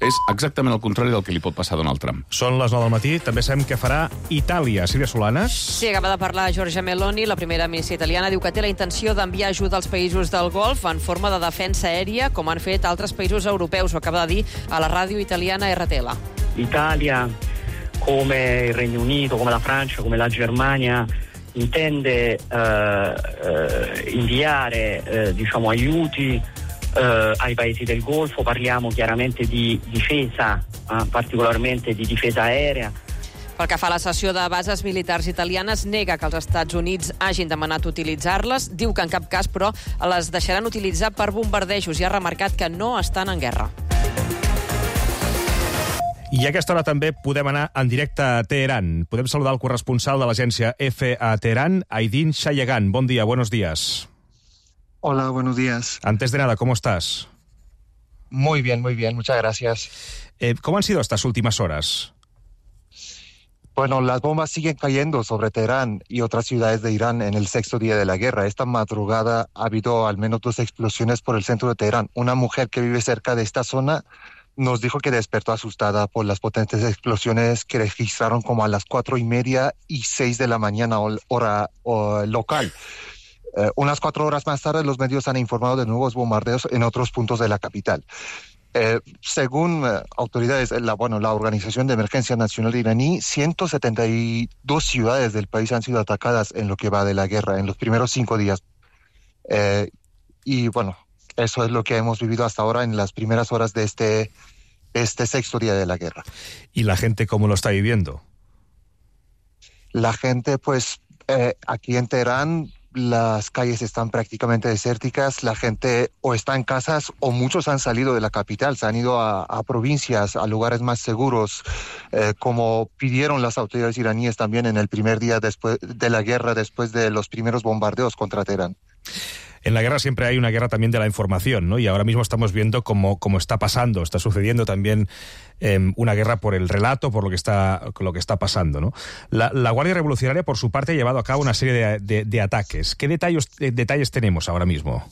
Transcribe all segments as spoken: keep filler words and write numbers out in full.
És exactament el contrari del que li pot passar a Donald Trump. Són les nou del matí. També sabem que farà Itàlia. Sílvia Solanes. Sí, acaba de parlar Giorgia Meloni, la primera ministra italiana. Diu que té la intenció d'enviar ajuda als països del Golf en forma de defensa aèria, com han fet altres països europeus. Ho acaba de dir a la ràdio italiana R T L. L'Italia, come il Regno Unito, come la Francia, come la Germania, intende eh, eh, inviare eh, diciamo, aiuti eh, ai paesi del Golfo. Parliamo chiaramente di difesa, eh, particolarmente di difesa aerea. Pel que fa a la cessió de bases militars italianes, nega que els Estats Units hagin demanat utilitzar-les. Diu que en cap cas, però, les deixaran utilitzar per bombardejos i ha remarcat que no estan en guerra. I a aquesta hora també podem anar en directe a Teheran. Podem saludar el corresponsal de l'agència F a Teherán, Aydin Shayegan. Bon dia, buenos días. Hola, buenos días. Antes de nada, ¿cómo estás? Muy bien, muy bien, muchas gracias. Eh, ¿Cómo han sido estas últimas horas? Bueno, las bombas siguen cayendo sobre Teherán y otras ciudades de Irán en el sexto día de la guerra. Esta madrugada ha habido al menos dos explosiones por el centro de Teherán. Una mujer que vive cerca de esta zona nos dijo que despertó asustada por las potentes explosiones que registraron como a las cuatro y media y seis de la mañana, hora o, local. Eh, unas cuatro horas más tarde, los medios han informado de nuevos bombardeos en otros puntos de la capital. Eh, según eh, autoridades, la, bueno, la Organización de Emergencia Nacional iraní, ciento setenta y dos ciudades del país han sido atacadas en lo que va de la guerra, en los primeros cinco días. Eh, y bueno, eso es lo que hemos vivido hasta ahora en las primeras horas de este, este sexto día de la guerra. ¿Y la gente cómo lo está viviendo? La gente, pues, eh, aquí en Teherán, las calles están prácticamente desérticas. La gente o está en casas o muchos han salido de la capital, se han ido a, a provincias, a lugares más seguros, eh, como pidieron las autoridades iraníes también en el primer día después de la guerra, después de los primeros bombardeos contra Teherán. En la guerra siempre hay una guerra también de la información, ¿no? Y ahora mismo estamos viendo cómo, cómo está pasando, está sucediendo también eh, una guerra por el relato, por lo que está, lo que está pasando, ¿no? La, la Guardia Revolucionaria, por su parte, ha llevado a cabo una serie de, de, de ataques. ¿Qué detalles, de, detalles tenemos ahora mismo?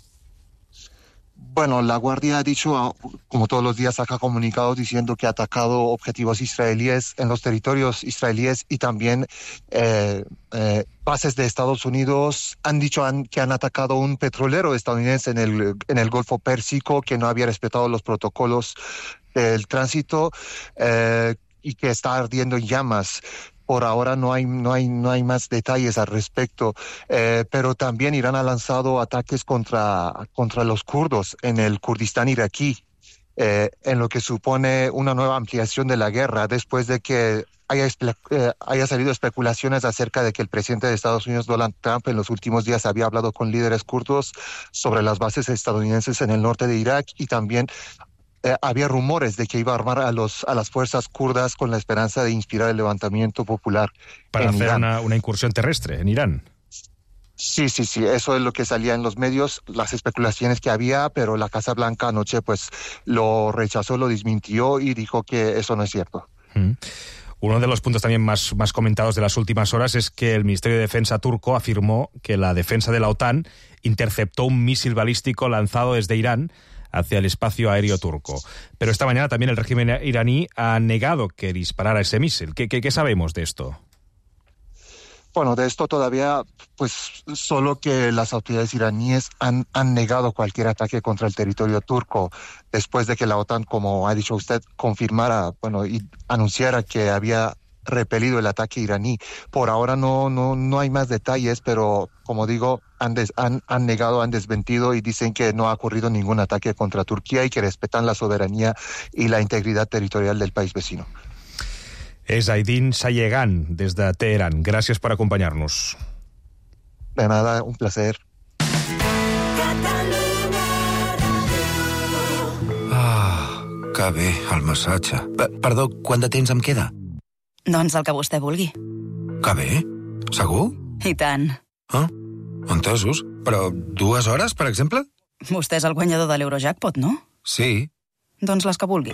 Bueno, la Guardia ha dicho, como todos los días, saca comunicados diciendo que ha atacado objetivos israelíes en los territorios israelíes y también eh, eh, bases de Estados Unidos. Han dicho han, que han atacado un petrolero estadounidense en el, en el Golfo Pérsico que no había respetado los protocolos del tránsito eh, y que está ardiendo en llamas. Por ahora no hay, no hay, no hay más detalles al respecto, eh, pero también Irán ha lanzado ataques contra, contra los kurdos en el Kurdistán iraquí, eh, en lo que supone una nueva ampliación de la guerra, después de que haya, eh, haya salido especulaciones acerca de que el presidente de Estados Unidos, Donald Trump, en los últimos días había hablado con líderes kurdos sobre las bases estadounidenses en el norte de Irak y también Eh, había rumores de que iba a armar a, los, a las fuerzas kurdas con la esperanza de inspirar el levantamiento popular para en hacer Irán. Una, una incursión terrestre en Irán. Sí, sí, sí, eso es lo que salía en los medios, las especulaciones que había, pero la Casa Blanca anoche pues lo rechazó, lo desmintió y dijo que eso no es cierto. Mm. Uno de los puntos también más, más comentados de las últimas horas es que el Ministerio de Defensa turco afirmó que la defensa de la OTAN interceptó un misil balístico lanzado desde Irán hacia el espacio aéreo turco. Pero esta mañana también el régimen iraní ha negado que disparara ese misil. ¿Qué, qué, qué sabemos de esto? Bueno, de esto todavía, pues solo que las autoridades iraníes han, han negado cualquier ataque contra el territorio turco después de que la OTAN, como ha dicho usted, confirmara, bueno, y anunciara que había repelido el ataque iraní. Por ahora no, no, no hay más detalles, pero como digo, han, des, han, han negado, han desmentido y dicen que no ha ocurrido ningún ataque contra Turquía y que respetan la soberanía y la integridad territorial del país vecino. Es Aydin Shayegan desde Teherán. Gràcies per acompanyar-nos. De nada, un placer. Ah, que bé, el massatge. Perdó, quant de temps em queda? Doncs el que vostè vulgui. Que bé? Segur? I tant. Ah, entesos. Però dues hores, per exemple? Vostè és el guanyador de l'Eurojackpot, no? Sí. Doncs les que vulgui.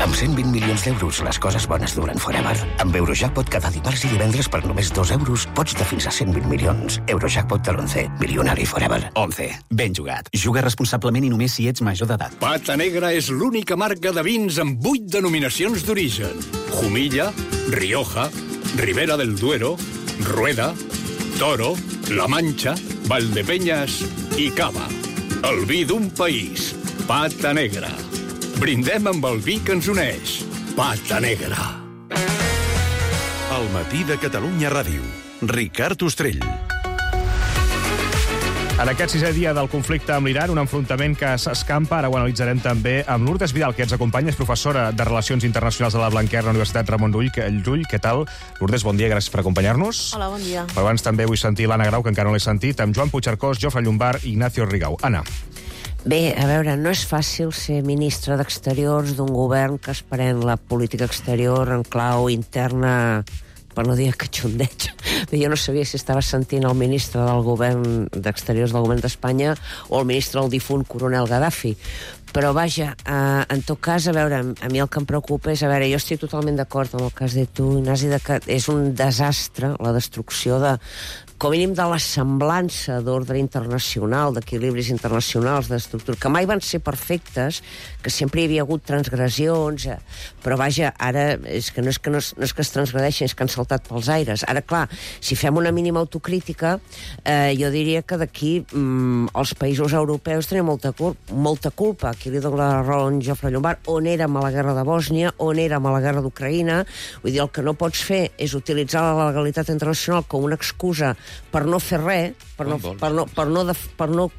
Amb cent vint milions d'euros, les coses bones duren forever. Amb Eurojackpot cada dimarts i divendres per només dos euros pots de fins a cent vint milions. Eurojackpot de l'onze. Milionari forever. onze. Ben jugat. Juga responsablement i només si ets major d'edat. Pata Negra és l'única marca de vins amb vuit denominacions d'origen. Jumilla, Rioja, Ribera del Duero, Rueda, Toro, La Mancha, Valdepeñas i Cava. El vi d'un país. Pata Negra. Brindem amb el vi que ens uneix. Pata Negra. El matí de Catalunya Ràdio. Ricard Ostrell. En aquest sisè dia del conflicte amb l'Iran, un enfrontament que s'escampa, ara ho analitzarem també amb Lourdes Vidal, que ens acompanya, és professora de Relacions Internacionals de la Blanquer, la Universitat Ramon Llull. Llull, què tal? Lourdes, bon dia, gràcies per acompanyar-nos. Hola, bon dia. Però abans també vull sentir l'Anna Grau, que encara no l'he sentit, amb Joan Puigcercós, Jofre Llombard i Ignacio Rigau. Anna. Bé, a veure, no és fàcil ser ministre d'Exteriors d'un govern que es pren la política exterior en clau interna, per no dir catxondeig. Jo no sabia si estava sentint el ministre del govern d'Exteriors del govern d'Espanya o el ministre del difunt coronel Gaddafi. Però vaja, eh, en tot cas, a veure, a mi el que em preocupa és, a veure, jo estic totalment d'acord amb el que has dit tu, Ignasi, de que és un desastre la destrucció de, com a mínim, de la semblança d'ordre internacional, d'equilibris internacionals, d'estructura, que mai van ser perfectes, que sempre hi havia hagut transgressions, eh, però vaja, ara és que no és que, no és, no és que es transgredeixen, és que han saltat pels aires. Ara, clar, si fem una mínima autocrítica, eh, jo diria que d'aquí mm, els països europeus tenen molta, cul molta culpa. Aquí li dono la raó en Jofre Llombard, on érem a la guerra de Bòsnia, on érem a la guerra d'Ucraïna. Vull dir, el que no pots fer és utilitzar la legalitat internacional com una excusa per no fer res, per no, per no, per no, per no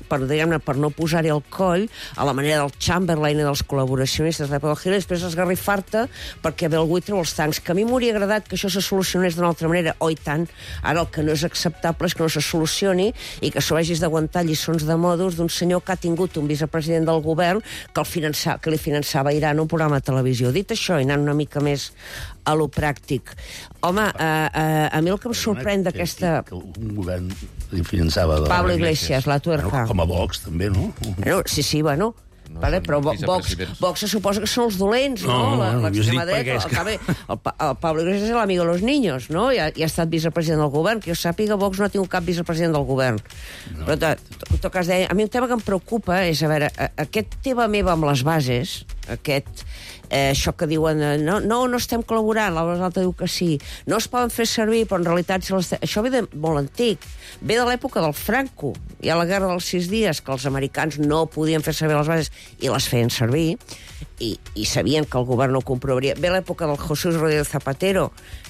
per, diguem-ne, per no posar-hi el coll a la manera del Chamberlain i dels col·laboracionistes de l'època del Hitler, i després esgarrifar-te perquè ve algú i treu els tancs. Que a mi m'hauria agradat que això se solucionés d'una altra manera, oi tant. Ara el que no és acceptable és que no se solucioni i que s'ho hagis d'aguantar lliçons de modus d'un senyor que ha tingut un vicepresident del govern que, el finança, que li finançava a Iran un programa de televisió. Dit això, i anant una mica més a lo pràctic. Home, eh, eh, a mi el que em sorprèn d'aquesta... Que un govern li finançava... Pablo Iglesias, la tuerca. Com a Vox, també, no? Bueno, sí, sí, bueno... No, vale, però Vox, Vox se suposa que són els dolents, no? No, no, l'extrema dreta. El, que... el, el Pablo Iglesias és l'amigo de los niños, no? I ha, i ha estat vicepresident del govern. Que jo sàpiga, Vox no ha tingut cap vicepresident del govern. No. Però, en tot cas, a mi un tema que em preocupa és, a veure, aquest teva meva amb les bases, aquest... Eh, això que diuen, no, no, no estem col·laborant, l'altre diu que sí, no es poden fer servir, però en realitat si les... això ve de molt antic, ve de l'època del Franco, hi ha la guerra dels sis dies, que els americans no podien fer servir les bases i les feien servir, i, i sabien que el govern no ho comprovaria. Ve l'època del Jesús Rodríguez Zapatero,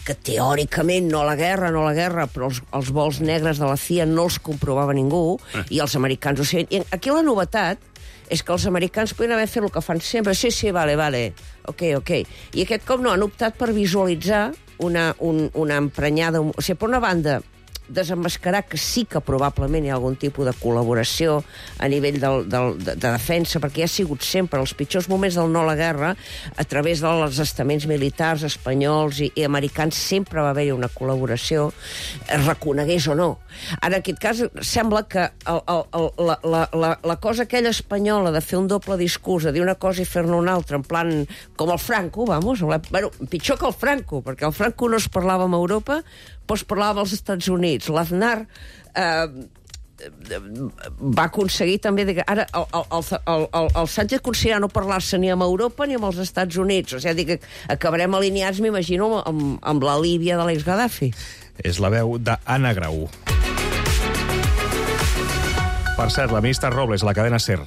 que teòricament no la guerra, no la guerra, però els, els vols negres de la C I A no els comprovava ningú, i els americans ho sabien. I aquí la novetat és que els americans podien haver fet el que fan sempre. Sí, sí, vale, vale, ok, ok. I aquest cop no, han optat per visualitzar una, un, una emprenyada... O sigui, per una banda, desemmascarar que sí que probablement hi ha algun tipus de col·laboració a nivell del, del, de, de defensa, perquè ha sigut sempre els pitjors moments del no a la guerra, a través dels estaments militars espanyols i, i americans, sempre va haver-hi una col·laboració, es reconegués o no. Ara, en aquest cas, sembla que el, el, el, la, la, la, la cosa aquella espanyola de fer un doble discurs, de dir una cosa i fer-ne una altra, en plan, com el Franco, vamos, bueno, pitjor que el Franco, perquè el Franco no es parlava amb Europa, però es parlava als Estats Units. L'Aznar eh, va aconseguir també... De, ara, el, el, el, el, el Sánchez aconseguirà no parlar-se ni amb Europa ni amb els Estats Units. O sigui, que acabarem alineats, m'imagino, amb, amb la Líbia de l'ex-Gaddafi. És la veu d'Anna Grau. Per cert, la ministra Robles, a la cadena SER.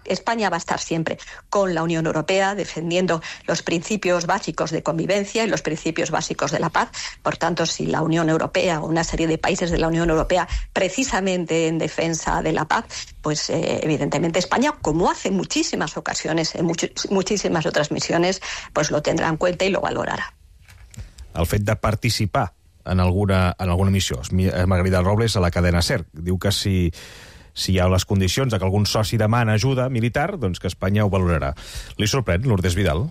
España va a estar siempre con la Unión Europea defendiendo los principios básicos de convivencia y los principios básicos de la paz. Por tanto, si la Unión Europea o una serie de países de la Unión Europea precisamente en defensa de la paz, pues eh, evidentemente España, como hace muchísimas ocasiones en much muchísimas otras misiones, pues lo tendrá en cuenta y lo valorará. El fet de participar en alguna, en alguna missió. Margarida Robles, a la cadena SER, diu que si... si hi ha les condicions de que algun soci demana ajuda militar, doncs que Espanya ho valorarà. Li sorprèn, Lourdes Vidal?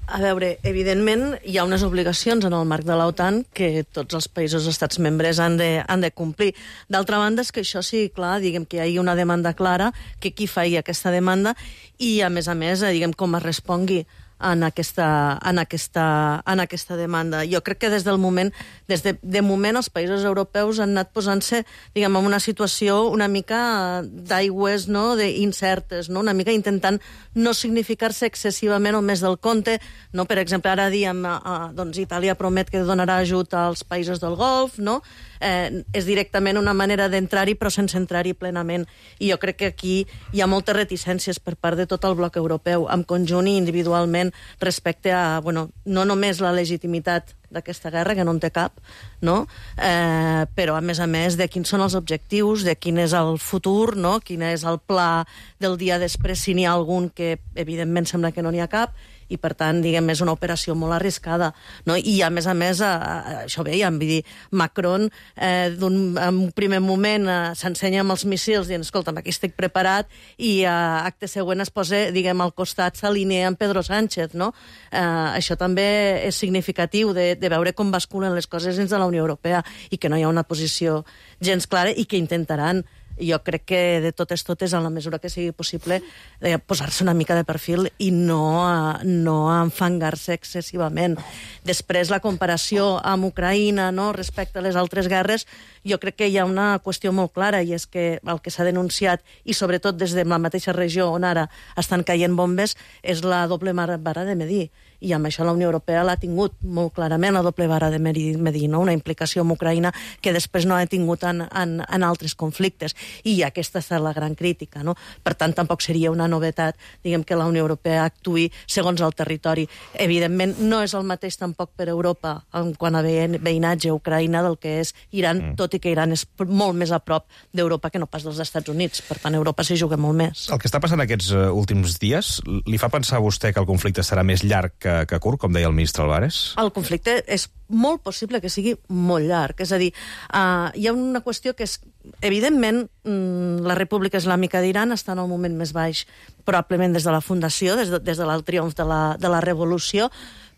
A veure, evidentment hi ha unes obligacions en el marc de l'OTAN que tots els països estats membres han de, han de complir. D'altra banda, és que això sí, clar, diguem que hi hagi una demanda clara, que qui faci aquesta demanda i, a més a més, diguem com es respongui en aquesta, en aquesta, en aquesta demanda. Jo crec que des del moment, des de, de moment els països europeus han anat posant-se, diguem, en una situació una mica d'aigües, no?, incertes, no?, una mica intentant no significar-se excessivament o més del compte, no? Per exemple, ara diem, eh, doncs Itàlia promet que donarà ajut als països del Golf, no?, eh, és directament una manera d'entrar-hi però sense entrar-hi plenament. I jo crec que aquí hi ha moltes reticències per part de tot el bloc europeu, en conjunt i individualment, respecte a, bueno, no només la legitimitat d'aquesta guerra, que no en té cap, no? Eh, però, a més a més, de quins són els objectius, de quin és el futur, no? Quin és el pla del dia després, si n'hi ha algun, que evidentment sembla que no n'hi ha cap, i per tant, diguem, és una operació molt arriscada, no? I a més a més, a, a, això veiem, vull dir, Macron eh, d'un, en un primer moment eh, s'ensenya amb els missils dient, escolta'm, aquí estic preparat, i a eh, acte següent es posa, diguem, al costat s'alinea amb Pedro Sánchez, no? Eh, això també és significatiu de, de veure com basculen les coses dins de la Unió Europea i que no hi ha una posició gens clara i que intentaran, jo crec que de totes totes, en la mesura que sigui possible, eh, posar-se una mica de perfil i no, eh, no enfangar-se excessivament. Després, la comparació amb Ucraïna, no?, respecte a les altres guerres, jo crec que hi ha una qüestió molt clara, i és que el que s'ha denunciat, i sobretot des de la mateixa regió on ara estan caient bombes, és la doble vara de medir. I amb això la Unió Europea l'ha tingut molt clarament, la doble vara de medir, no? Una implicació amb Ucraïna que després no ha tingut en, en, en altres conflictes. I aquesta és la gran crítica, no? Per tant, tampoc seria una novetat, diguem, que la Unió Europea actuï segons el territori. Evidentment, no és el mateix tampoc per Europa en quant a veïnatge a Ucraïna del que és Iran, mm. tot i que Iran és molt més a prop d'Europa que no pas dels Estats Units. Per tant, Europa s'hi juga molt més. El que està passant aquests uh, últims dies, li fa pensar a vostè que el conflicte serà més llarg que, que curt, com deia el ministre Álvarez? El conflicte és molt possible que sigui molt llarg. És a dir, uh, hi ha una qüestió que és, evidentment, mm, la República Islàmica d'Iran està en el moment més baix, probablement des de la fundació, des de, des del triomf de la, de la revolució,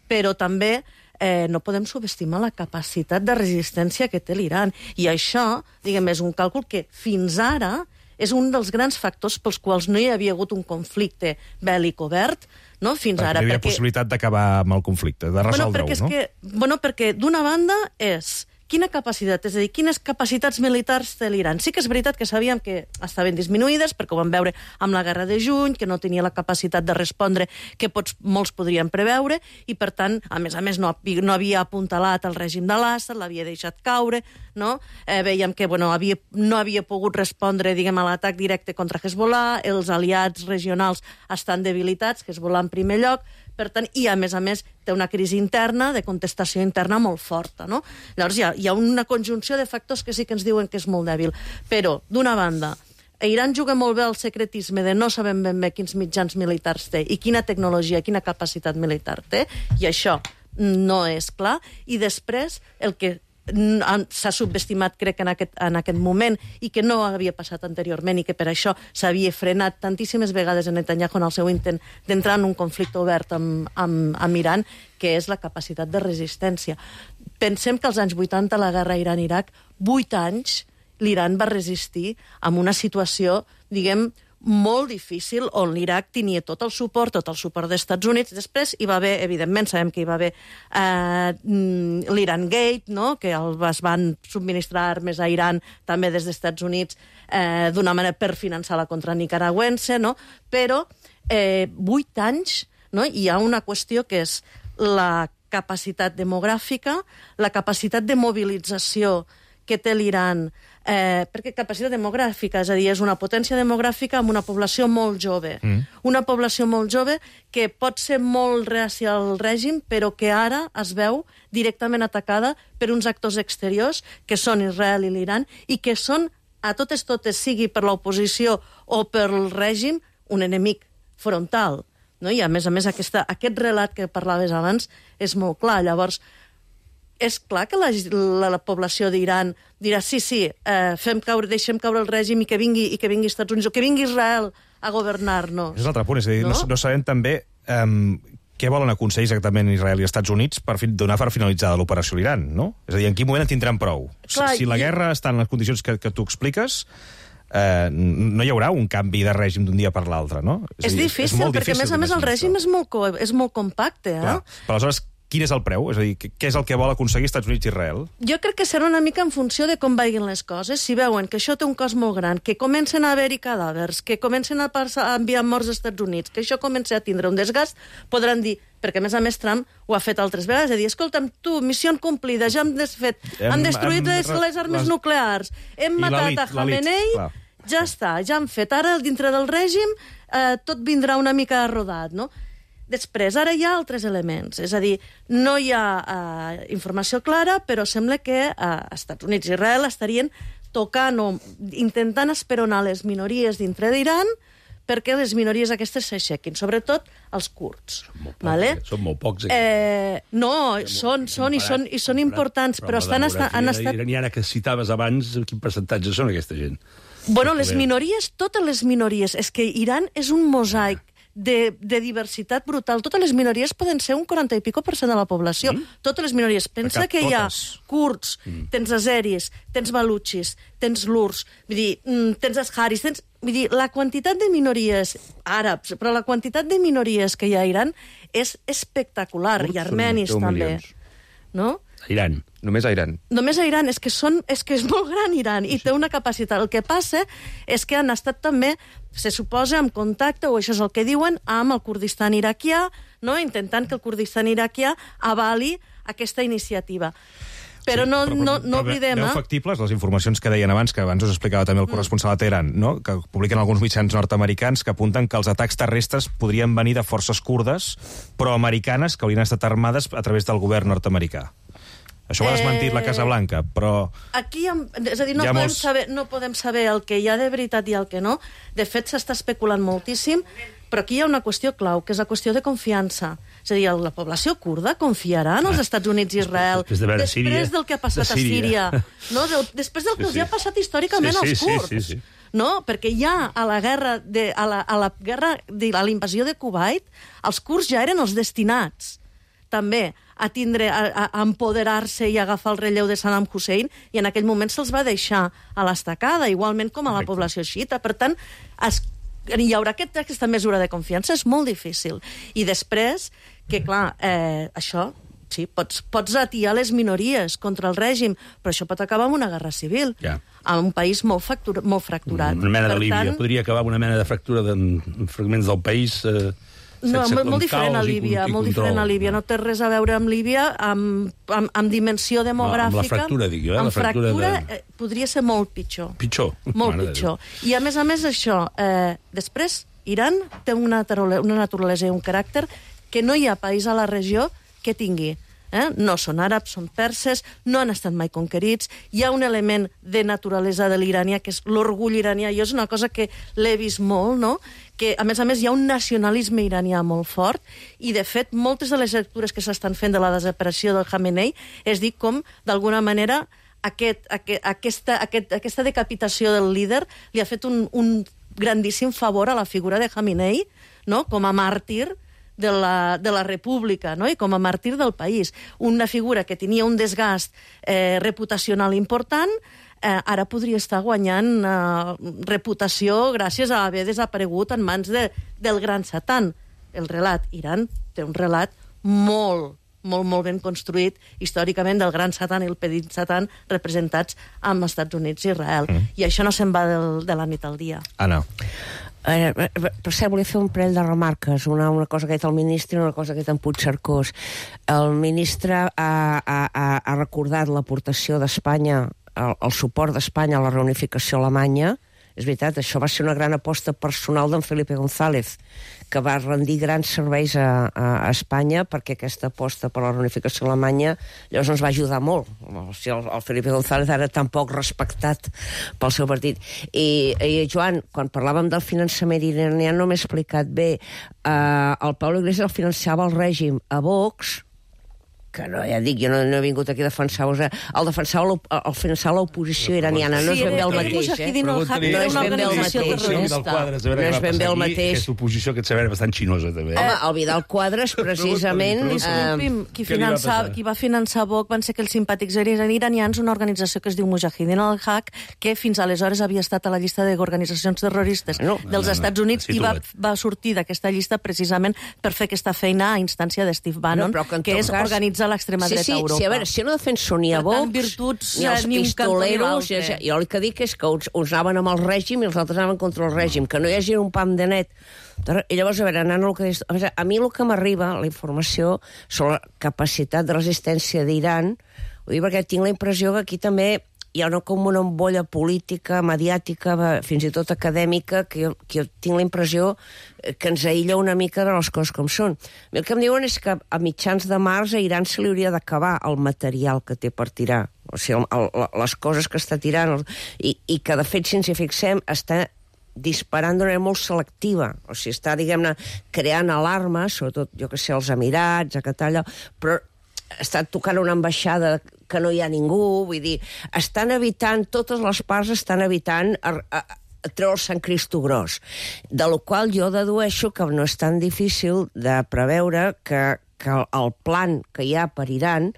però també eh, no podem subestimar la capacitat de resistència que té l'Iran. I això, diguem, és un càlcul que fins ara és un dels grans factors pels quals no hi havia hagut un conflicte bèl·lic obert, no? Fins perquè ara. Hi havia perquè... possibilitat d'acabar amb el conflicte, de resoldre-ho, bueno, perquè no? Que, bueno, perquè d'una banda és quina capacitat, és a dir, quines capacitats militars té l'Iran. Sí que és veritat que sabíem que estaven disminuïdes, perquè ho vam veure amb la guerra de juny, que no tenia la capacitat de respondre que pots, molts podrien preveure, i per tant, a més a més, no, no havia apuntalat el règim de l'Assad, l'havia deixat caure, no? Eh, veiem que bueno, havia, no havia pogut respondre, diguem, a l'atac directe contra Hezbollah, els aliats regionals estan debilitats, Hezbollah en primer lloc, per tant, i a més a més té una crisi interna, de contestació interna molt forta, no? Llavors hi ha, hi ha una conjunció de factors que sí que ens diuen que és molt dèbil. Però, d'una banda, Iran juga molt bé el secretisme de no sabem ben bé quins mitjans militars té i quina tecnologia, quina capacitat militar té, i això no és clar. I després, el que s'ha subestimat, crec, en aquest, en aquest moment, i que no havia passat anteriorment, i que per això s'havia frenat tantíssimes vegades en Netanyahu en el seu intent d'entrar en un conflicte obert amb, amb, amb Iran, que és la capacitat de resistència. Pensem que als anys vuitanta, la guerra Iran-Iraq, vuit anys, l'Iran va resistir amb una situació, diguem, molt difícil, on l'Iraq tenia tot el suport, tot el suport dels Estats Units. Després hi va haver, evidentment, sabem que hi va haver eh, l'Iran Gate, no?, que el, es van subministrar armes a Iran també des dels Estats Units eh, d'una manera per finançar la contra nicaragüense, no? Però eh, vuit anys, no?, hi ha una qüestió que és la capacitat demogràfica, la capacitat de mobilització que té l'Iran, eh, perquè capacitat demogràfica, és a dir, és una potència demogràfica amb una població molt jove. Mm. Una població molt jove que pot ser molt reàcia al règim, però que ara es veu directament atacada per uns actors exteriors, que són Israel i l'Iran, i que són, a totes totes, sigui per l'oposició o per el règim, un enemic frontal. No? I, a més a més, aquesta, aquest relat que parlaves abans és molt clar. Llavors, és clar que la, la, la població d'Iran dirà sí, sí, eh, fem caure, deixem caure el règim i que vingui, i que vingui Estats Units o que vingui Israel a governar-nos. És l'altre punt, és a dir, no, no, no sabem també um, què volen aconseguir exactament Israel i Estats Units per donar per finalitzada l'operació a l'Iran, no? És a dir, en quin moment en tindran prou? Clar, si la guerra està en les condicions que, que tu expliques, eh, no hi haurà un canvi de règim d'un dia per l'altre, no? És, és dir, difícil, és perquè, a més a més, el règim és molt, co és molt compacte, eh? Clar. Però aleshores, quin és el preu? És a dir, què és el que vol aconseguir Estats Units i Israel? Jo crec que serà una mica en funció de com vagin les coses. Si veuen que això té un cost molt gran, que comencen a haver-hi cadàvers, que comencen a, passar, a enviar morts als Estats Units, que això comença a tindre un desgast, podran dir, perquè a més a més Trump ho ha fet altres vegades, és a dir, escolta'm, tu, missió complida, ja hem desfet, hem, hem destruït hem, les, les armes les... nuclears, hem matat a Khamenei, ja està, ja han fet. Ara, dintre del règim, eh, tot vindrà una mica rodat, no? Després, ara hi ha altres elements. És a dir, no hi ha uh, informació clara, però sembla que uh, Estats Units i Israel estarien tocant o intentant esperonar les minories dintre d'Iran perquè les minories aquestes s'aixequin, sobretot els kurds. Són molt pocs, vale? eh? Són molt pocs. Eh, no, són, són, i són, i són importants, però, però estan, estan, han estat... iraniana que citaves abans, quin percentatge són aquesta gent? Bueno, les minories, totes les minories. És que Iran és un mosaic de, de diversitat brutal. Totes les minories poden ser un quaranta i pico per cent de la població. Mm? Totes les minories. Pensa que hi ha kurds, mm. tens azeris, tens balutxis, tens lurs, vull dir, tens asharis, tens... Vull dir, la quantitat de minories àrabs, però la quantitat de minories que hi ha a Iran és espectacular, i armenis també. No? A Iran. Només a Iran. Només a Iran. És que, són, és que és molt gran Iran i té una capacitat. El que passa és que han estat també, se suposa, en contacte, o això és el que diuen, amb el Kurdistan iraquià, no? Intentant que el Kurdistan iraquià avali aquesta iniciativa. Però sí, no, però, no, no però oblidem... Veu factibles les informacions que deien abans, que abans us explicava també el corresponsal a Teheran, no? Que publiquen alguns mitjans nord-americans que apunten que els atacs terrestres podrien venir de forces kurdes proamericanes que haurien estat armades a través del govern nord-americà. Això ho ha desmentit eh... la Casa Blanca, però... Aquí, és a dir, no podem, molts... saber, no podem saber el que hi ha de veritat i el que no. De fet, s'està especulant moltíssim, però aquí hi ha una qüestió clau, que és la qüestió de confiança. És a dir, la població kurda confiarà en els Estats Units i Israel després, de després Síria, del que ha passat de Síria. a Síria, no? De, després del que sí, els hi ha passat històricament sí, sí, als kurds. Sí, sí, sí. No? Perquè ja a la guerra, de, a la, a la guerra de, a la invasió de Kuwait, els kurds ja eren els destinats també a tindre, a, a empoderar-se i agafar el relleu de Saddam Hussein, i en aquell moment se'ls va deixar a l'estacada, igualment com a la població xiita. Per tant, es, hi haurà aquest, aquesta mesura de confiança, és molt difícil. I després, que clar, eh, això, sí, pots, pots atiar les minories contra el règim, però això pot acabar amb una guerra civil, ja. En un país molt, factura, molt fracturat. Una mena per de Líbia, tant, podria acabar amb una mena de fractura de fragments del país... Eh... No, molt, molt diferent a Líbia, molt diferent a Líbia. No té res a veure amb Líbia, amb, amb, amb dimensió demogràfica. Amb la fractura, dic jo. Eh? Amb la fractura, fractura de... eh, podria ser molt pitjor. Pitjor? Molt Mare pitjor. I a més a més això, eh, després, Iran té una, una naturalesa i un caràcter que no hi ha país a la regió que tingui. Eh? No són àrabs, són perses, no han estat mai conquerits, hi ha un element de naturalesa de l'iranià, que és l'orgull iranià, i és una cosa que l'he vist molt, no? Que, a més a més, hi ha un nacionalisme iranià molt fort, i, de fet, moltes de les lectures que s'estan fent de la desaparició del Khamenei és dir com, d'alguna manera, aquest, aquest, aquesta, aquest, aquesta decapitació del líder li ha fet un, un grandíssim favor a la figura de Khamenei, no? Com a màrtir de la, de la república, no? I com a màrtir del país. Una figura que tenia un desgast eh, reputacional important, eh, ara podria estar guanyant eh, reputació gràcies a haver desaparegut en mans de, del gran Satan. El relat, Iran té un relat molt, molt, molt ben construït històricament del gran Satan i el petit Satan representats amb els Estats Units i Israel. Mm. I això no se'n va del, de la nit al dia. Anna. Eh, per cert, volia fer un parell de remarques, una, una cosa que ha dit el ministre i una cosa que ha dit en Puigcercós. El ministre ha, ha, ha recordat l'aportació d'Espanya, el, el suport d'Espanya a la reunificació alemanya. És veritat, això va ser una gran aposta personal d'en Felipe González, que va rendir grans serveis a, a, a Espanya, perquè aquesta aposta per la reunificació alemanya llavors ens va ajudar molt. O sigui, el, el Felipe González era tan poc respectat pel seu partit. I, i Joan, quan parlàvem del finançament iranià no m'he explicat bé. Uh, el Pablo Iglesias el financiava el règim a Vox, que no, ja dic, jo no, no he vingut aquí a defensar-vos, eh? el defensar l'oposició iraniana, no és ben bé el mateix, eh? No és ben bé el mateix, no és ben bé el mateix. Aquesta oposició que et sabem bastant xinosa, també. Home, el Vidal Quadras, precisament... Disculpi'm, qui, finançar, qui va finançar Vox van ser que els simpàtics iranians, una organització que es diu Mujahideen al-Haq, que fins aleshores havia estat a la llista d'organitzacions terroristes no, dels no, no, Estats Units i va, va sortir d'aquesta llista precisament per fer aquesta feina a instància de Steve Bannon, no, que, que és cas... organitzar l'extrema dreta sí, sí, a Europa. Sí, a veure, si no defenso ni a Vox, virtuts, ni els ni pistoleros, ja, jo el que dic és que uns, uns anaven amb el règim i els altres anaven contra el règim, que no hi hagi un pam de net. I llavors, a veure, anant el que... A mi el que m'arriba, la informació sobre la capacitat de resistència d'Iran, ho dic perquè tinc la impressió que aquí també hi ha una, com una embolla política, mediàtica, fins i tot acadèmica, que jo, que jo tinc la impressió que ens aïlla una mica de les coses com són. El que em diuen és que a mitjans de març a Iran se li hauria d'acabar el material que té per tirar, o sigui, el, el, les coses que està tirant, i, i que, de fet, si ens hi fixem, està disparant d'una manera molt selectiva. O sigui, està, diguem-ne, creant alarmes, sobretot, jo que sé, als Emirats, a Qatar, però està tocant una ambaixada que no hi ha ningú, vull dir, estan evitant, totes les parts estan evitant a, a, a treure el Sant Cristo gros, de la qual jo dedueixo que no és tan difícil de preveure que, que el plan que hi ha per Iran,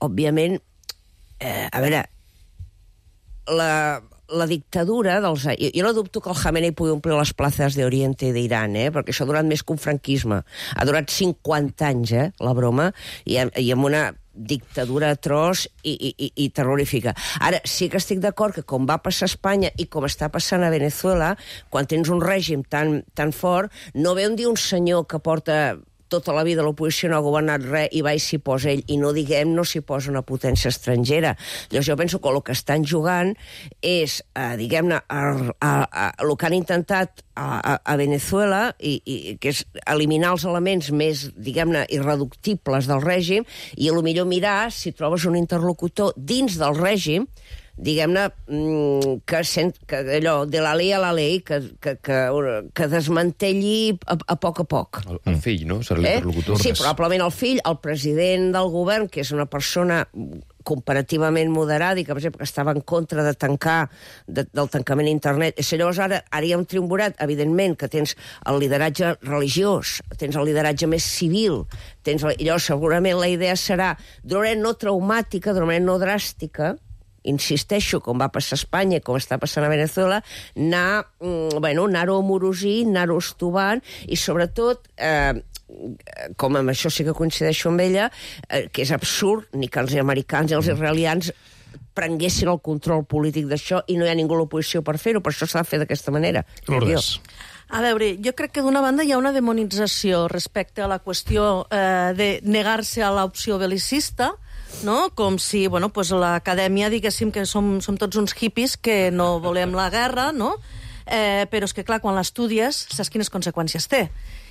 òbviament, eh, a veure, la... la dictadura dels... Jo, jo no dubto que el Khamenei pugui omplir les places d'Oriente d'Iran, eh? Perquè això ha durat més que un franquisme. Ha durat cinquanta anys, eh, la broma, i, i amb una dictadura atroç i, i, i terrorífica. Ara, sí que estic d'acord que com va passar a Espanya i com està passant a Venezuela, quan tens un règim tan, tan fort, no ve un dia un senyor que porta tota la vida l'oposició no ha governat res i va i s'hi posa ell, i no diguem no s'hi posa una potència estrangera. Llavors jo penso que el que estan jugant és, eh, diguem-ne, el que han intentat a, a, a Venezuela, i, i, que és eliminar els elements més, diguem-ne, irreductibles del règim, i a lo millor mirar si trobes un interlocutor dins del règim, diguem-ne, que, sent, que allò, de la llei a la llei, que, que, que, que desmantelli a, a poc a poc. El, el fill, no? Serà l'interlocutor. Eh? Sí, probablement el fill, el president del govern, que és una persona comparativament moderada i que, per exemple, que estava en contra de tancar, de, del tancament a internet. I llavors ara, ara hi ha un triumvirat, evidentment, que tens el lideratge religiós, tens el lideratge més civil, tens el, i llavors segurament la idea serà, d'una manera no traumàtica, d'una manera no dràstica, insisteixo, com va passar a Espanya, com està passant a Venezuela, anar, bueno, anar-ho amorosint, anar-ho estovant, i sobretot, eh, com amb això sí que coincideixo amb ella, eh, que és absurd ni que els americans i els israelians prenguessin el control polític d'això i no hi ha ningú a l'oposició per fer-ho, per això s'ha de fer d'aquesta manera. Lourdes. A veure, jo crec que d'una banda hi ha una demonització respecte a la qüestió eh, de negar-se a l'opció belicista, no? Com si, bueno, pues l'acadèmia, diguéssim, que som, som tots uns hippies que no volem la guerra, no? Eh, però és que, clar, quan l'estudies, saps quines conseqüències té.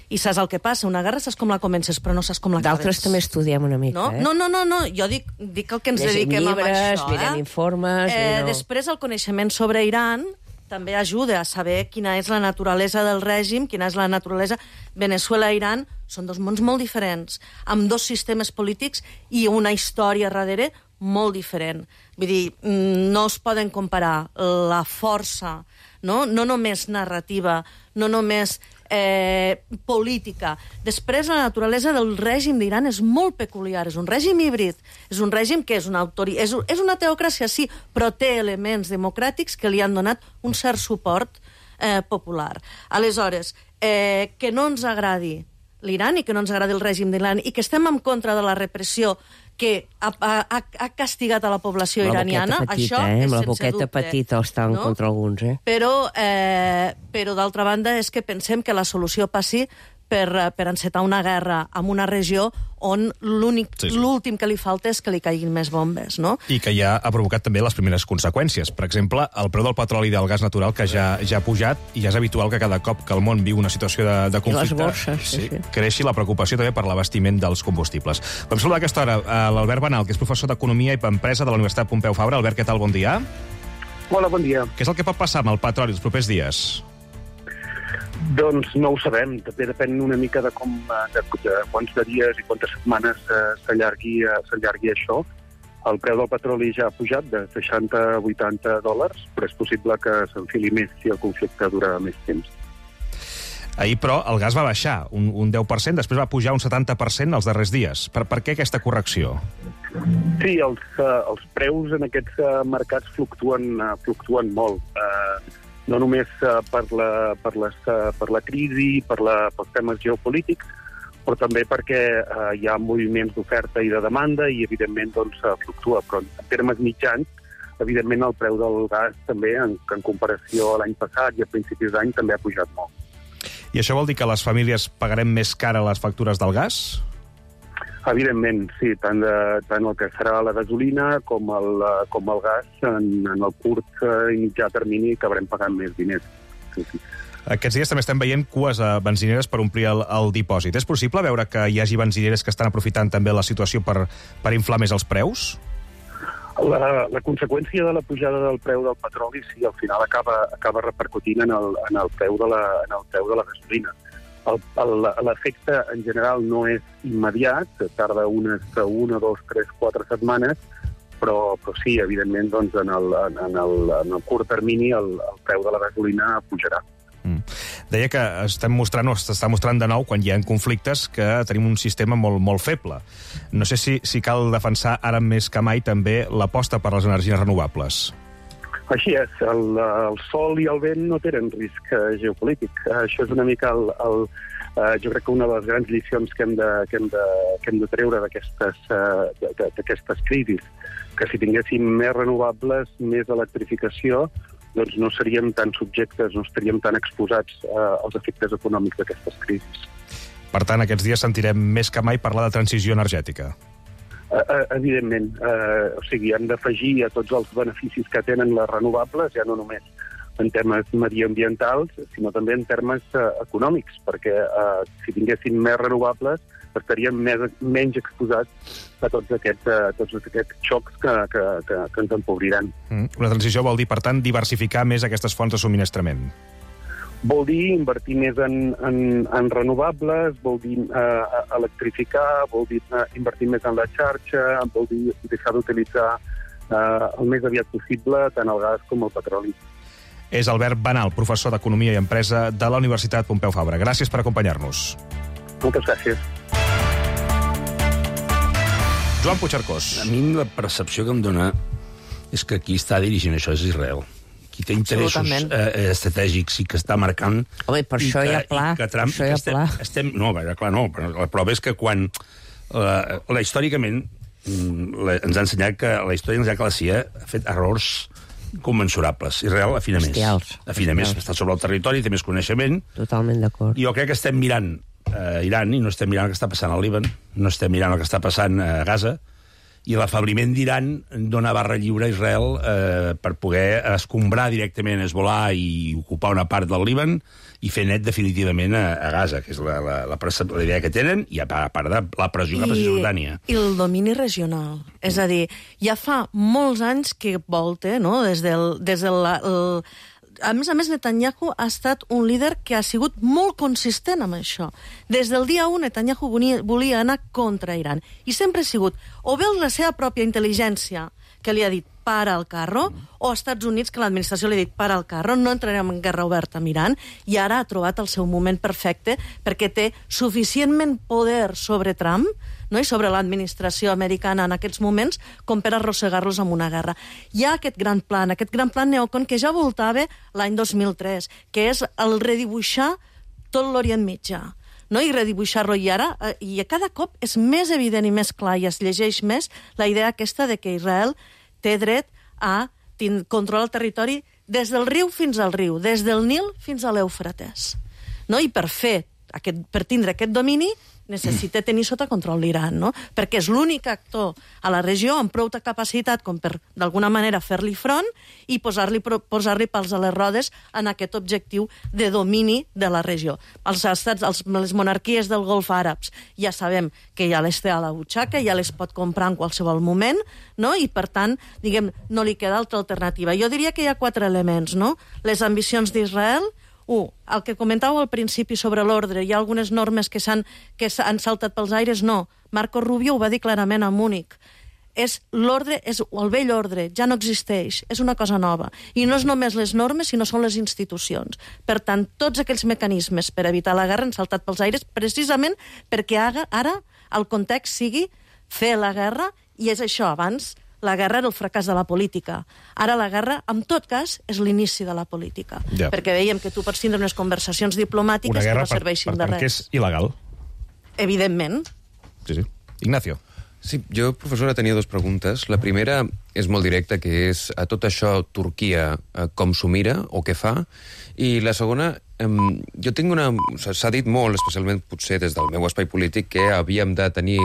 I saps el que passa. Una guerra saps com la comences, però no saps com l'acabes. D'altres també estudiem una mica, no? eh? No, no, no, no. Jo dic, dic el que ens Llegim dediquem llibres, a això. Mirem eh? informes... Eh, no... Després, el coneixement sobre Iran també ajuda a saber quina és la naturalesa del règim, quina és la naturalesa... Venezuela i Iran són dos mons molt diferents, amb dos sistemes polítics i una història darrere molt diferent. Vull dir, no es poden comparar la força, no, no només narrativa, no només eh, política. Després, la naturalesa del règim d'Iran és molt peculiar, és un règim híbrid, és un règim que és una, autori... és, és una teocràcia, sí, però té elements democràtics que li han donat un cert suport eh, popular. Aleshores, eh, que no ens agradi l'Iran i que no ens agradi el règim d'Iran i que estem en contra de la repressió que ha, ha, ha castigat a la població la iraniana, petita, això eh? és la sense boqueta dubte. petita està en no? contra alguns, eh? Però, eh, però d'altra banda, és que pensem que la solució passi per, per encetar una guerra en una regió on l'únic, sí, sí. l'últim que li falta és que li caiguin més bombes, no? I que ja ha provocat també les primeres conseqüències. Per exemple, el preu del petroli i del gas natural, que ja, ja ha pujat, i ja és habitual que cada cop que el món viu una situació de, de conflicte... I les borses, sí, sí. creixi la preocupació també per l'abastiment dels combustibles. Vam saludar a aquesta hora l'Albert Banal, que és professor d'Economia i Empresa de la Universitat Pompeu Fabra. Albert, què tal? Bon dia. Hola, bon dia. Què és el que pot passar amb el petroli els propers dies? Doncs no ho sabem, també depèn una mica de, com, de, de quants de dies i quantes setmanes eh, s'allargui, eh, s'allargui això. El preu del petroli ja ha pujat de seixanta a vuitanta dòlars, però és possible que s'enfili més si el conflicte dura més temps. Ahir, però, el gas va baixar un, un deu per cent, després va pujar un setanta per cent els darrers dies. Per, per què aquesta correcció? Sí, els, uh, els preus en aquests uh, mercats fluctuen, uh, fluctuen molt. Uh, no només uh, per, la, per, les, uh, per la crisi, per la, pels temes geopolítics, però també perquè uh, hi ha moviments d'oferta i de demanda i, evidentment, doncs, uh, fluctua. Però en termes mitjans, evidentment, el preu del gas també, en, en comparació a l'any passat i a principis d'any, també ha pujat molt. I això vol dir que les famílies pagarem més cara les factures del gas? Evidentment, sí. Tant, de, tant el que serà la gasolina com el, com el gas, en, en el curt i mitjà termini acabarem pagant més diners. Sí, sí. Aquests dies també estem veient cues a benzineres per omplir el, el dipòsit. És possible veure que hi hagi benzineres que estan aprofitant també la situació per, per inflar més els preus? La, la conseqüència de la pujada del preu del petroli, sí, al final acaba, acaba repercutint en el, en el preu de la, en el preu de la gasolina. L'efecte en general no és immediat, tarda unes una, dos, tres, quatre setmanes, però, però sí, evidentment, doncs, en, el, en, el, en el curt termini el, el preu de la gasolina pujarà. Mm. Deia que estem mostrant, o s'està mostrant de nou, quan hi ha conflictes, que tenim un sistema molt, molt feble. No sé si, si cal defensar ara més que mai també l'aposta per les energies renovables. Així és, el, el sol i el vent no tenen risc eh, geopolític. Això és una mica el... el eh, jo crec que una de les grans lliçons que hem de, que hem de, que hem de treure d'aquestes eh, d'aquestes crisis, que si tinguéssim més renovables, més electrificació, doncs no seríem tan subjectes, no estaríem tan exposats eh, als efectes econòmics d'aquestes crisis. Per tant, aquests dies sentirem més que mai parlar de transició energètica. Uh, evidentment, uh, o sigui, hem d'afegir a tots els beneficis que tenen les renovables, ja no només en termes mediambientals, sinó també en termes uh, econòmics, perquè uh, si tinguéssim més renovables estaríem més, menys exposats a tots aquests, uh, tots aquests xocs que, que, que, que ens empobriran. Mm. Una transició vol dir, per tant, diversificar més aquestes fonts de subministrament. Vol dir invertir més en, en, en renovables, vol dir eh, electrificar, vol dir eh, invertir més en la xarxa, vol dir deixar d'utilitzar eh, el més aviat possible tant el gas com el petroli. És Albert Banal, professor d'Economia i Empresa de la Universitat Pompeu Fabra. Gràcies per acompanyar-nos. Moltes gràcies. Joan Puigcercós. A mi la percepció que em dona és que qui està dirigint això és Israel. Qui té interessos eh, estratègics i que està marcant... Home, per això hi ha pla. Que Trump, això hi ha estem, pla. Estem, no, clar, no, però la prova és que quan... La, la històricament, la, ens ha ensenyat que la història ens ha que la C I A ha fet errors commensurables. Israel afina més. Bestials. Afina més, està sobre el territori, té més coneixement. Totalment d'acord. I jo crec que estem mirant eh, Iran i no estem mirant el que està passant al Líban, no estem mirant el que està passant a Gaza, i l'afabliment d'Iran dona barra lliure a Israel eh, per poder escombrar directament Hezbollah i ocupar una part del Líban i fer net definitivament a, a Gaza, que és la, la, la, la idea que tenen, i a part de la pressió cap a Jordània. I el domini regional. És a dir, ja fa molts anys que volta, no?, des del... Des del el, a més a més, Netanyahu ha estat un líder que ha sigut molt consistent amb això. Des del dia u, Netanyahu volia anar contra Iran. I sempre ha sigut o bé la seva pròpia intel·ligència, que li ha dit para el carro, o Estats Units, que l'administració li ha dit para el carro, no entrarem en guerra oberta amb Iran, i ara ha trobat el seu moment perfecte perquè té suficientment poder sobre Trump, no?, i sobre l'administració americana en aquests moments, com per arrossegar-los amb una guerra. Hi ha aquest gran plan, aquest gran plan neocon que ja voltava l'any dos mil tres, que és el redibuixar tot l'Orient Mitjà, no? I redibuixar-lo. I ara, eh, i a cada cop és més evident i més clar, i es llegeix més la idea aquesta de que Israel té dret a controlar el territori des del riu fins al riu, des del Nil fins a l'Eufrates. No? I per fer aquest, per tindre aquest domini necessita tenir sota control l'Iran, no? Perquè és l'únic actor a la regió amb prou capacitat com per, d'alguna manera, fer-li front i posar-li posar-li pals a les rodes en aquest objectiu de domini de la regió. Els estats, els, les monarquies del Golf àrabs ja sabem que ja les té a la butxaca, ja les pot comprar en qualsevol moment, no? I, per tant, diguem, no li queda altra alternativa. Jo diria que hi ha quatre elements, no? Les ambicions d'Israel, Un, el que comentàveu al principi sobre l'ordre, hi ha algunes normes que s'han que s'han saltat pels aires? No. Marco Rubio ho va dir clarament a Múnich. És l'ordre, és el vell ordre, ja no existeix, és una cosa nova. I no és només les normes, sinó són les institucions. Per tant, tots aquells mecanismes per evitar la guerra han saltat pels aires precisament perquè ara el context sigui fer la guerra, i és això, abans la guerra era el fracàs de la política. Ara la guerra, en tot cas, és l'inici de la política. Ja. Perquè veiem que tu pots tindre unes conversacions diplomàtiques que no serveixin per, de per res. Que és il·legal. Evidentment. Sí, sí. Ignacio. Sí, jo, professora, tenia dues preguntes. La primera és molt directa, que és a tot això Turquia eh, com s'ho mira o què fa? I la segona, eh, jo tinc una... S'ha dit molt, especialment potser des del meu espai polític, que havíem de tenir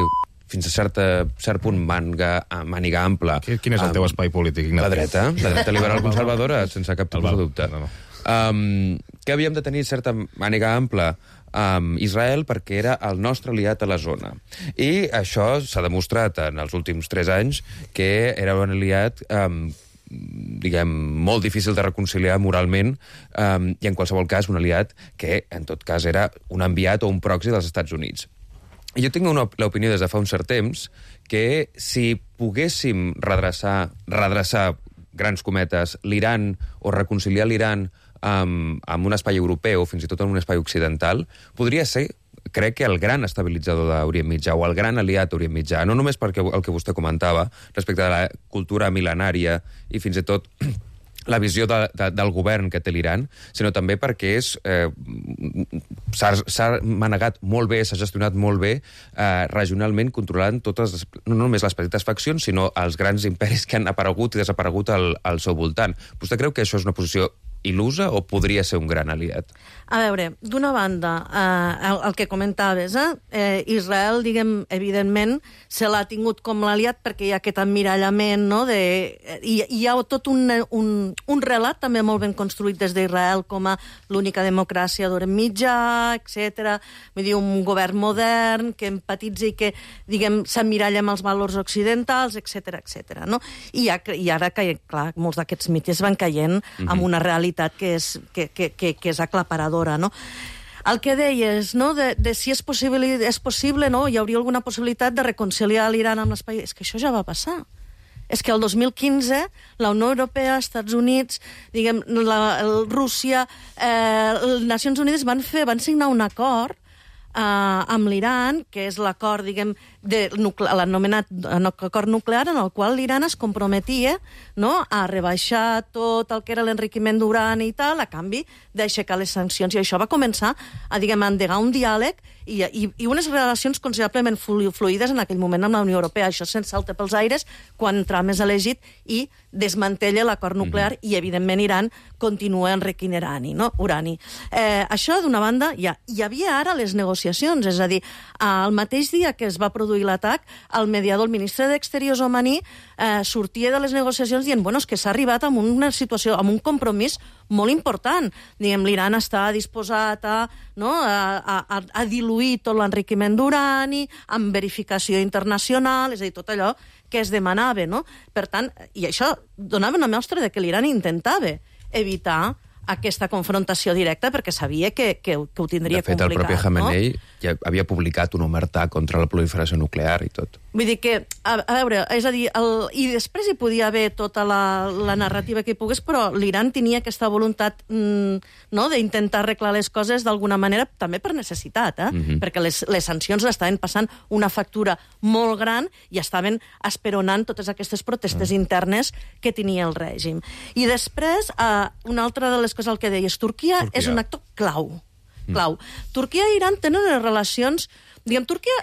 fins a certa, cert punt màniga, màniga ampla. Quin és el teu espai polític, Ignacio? La dreta, la dreta liberal conservadora, sense cap tipus de dubte. No, no. Um, que havíem de tenir certa màniga ampla amb Israel perquè era el nostre aliat a la zona. I això s'ha demostrat en els últims tres anys que era un aliat um, diguem, molt difícil de reconciliar moralment um, i en qualsevol cas un aliat que en tot cas era un enviat o un proxy dels Estats Units. I jo tinc una l'opinió des de fa un cert temps que si poguéssim redreçar, redreçar grans cometes, l'Iran o reconciliar l'Iran amb, amb un espai europeu, fins i tot en un espai occidental, podria ser, crec que el gran estabilitzador d'Orient Mitjà, o el gran aliat d'Orient Mitjà, no només perquè el que vostè comentava, respecte a la cultura mil·lenària i fins i tot la visió de, de, del govern que té l'Iran, sinó també perquè és eh, s'ha manegat molt bé, s'ha gestionat molt bé eh, regionalment, controlant totes, no només les petites faccions, sinó els grans imperis que han aparegut i desaparegut al, al seu voltant. Vostè creu que això és una posició il·lusa o podria ser un gran aliat? A veure, d'una banda, eh, el, el que comentaves, eh, eh, Israel, diguem, evidentment, se l'ha tingut com l'aliat perquè hi ha aquest emmirallament, no?, de, i hi ha tot un, un, un relat també molt ben construït des d'Israel com a l'única democràcia d'Orient Mitjà, etcètera. Vull dir, un govern modern que empatitza i que, diguem, s'emmiralla amb els valors occidentals, etcètera, etcètera, no? I, ha, i ara, que, clar, molts d'aquests mites van caient mm-hmm. amb una realitat que és, que, que, que, que és aclaparadora, no? El que deies, no?, de, de si és possible, és possible, no?, hi hauria alguna possibilitat de reconciliar l'Iran amb l'espai... És que això ja va passar. És que el dos mil quinze la Unió Europea, Estats Units, diguem, la, el Rússia, eh, les Nacions Unides van fer, van signar un acord eh, amb l'Iran, que és l'acord, diguem, de l'anomenat acord nuclear, en el qual l'Iran es comprometia, no?, a rebaixar tot el que era l'enriquiment d'urani i tal, a canvi d'aixecar les sancions. I això va començar a, diguem, a endegar un diàleg i, i, i unes relacions considerablement fluides en aquell moment amb la Unió Europea. Això se'n salta pels aires quan Trump és elegit i desmantella l'acord nuclear mm-hmm. i, evidentment, Iran continua enriquint urani. No? urani. Eh, això, d'una banda, ja, hi havia ara les negociacions, és a dir, el mateix dia que es va produir l'atac, el mediador, el ministre d'Exteriors omaní, eh, sortia de les negociacions dient, bueno, és que s'ha arribat a una situació, amb un compromís molt important. Diguem, l'Iran està disposat a, no, a, a, a diluir tot l'enriquiment d'urani, amb verificació internacional, és a dir, tot allò que es demanava, no? Per tant, i això donava una mostra de que l'Iran intentava evitar aquesta confrontació directa perquè sabia que, que, que ho tindria complicat. De fet, complicat, el propi Khamenei no? ja havia publicat un omertà contra la proliferació nuclear i tot. Vull dir que, a, a veure, és a dir, el, i després hi podia haver tota la, la narrativa que hi pogués, però l'Iran tenia aquesta voluntat mm, no, d'intentar arreglar les coses d'alguna manera, també per necessitat, eh? Mm-hmm. Perquè les, les sancions estaven passant una factura molt gran i estaven esperonant totes aquestes protestes mm. internes que tenia el règim. I després, eh, una altra de les coses el que deies, Turquia, Turquia. és un actor clau. clau. Mm. Turquia i Iran tenen les relacions... Diguem, Turquia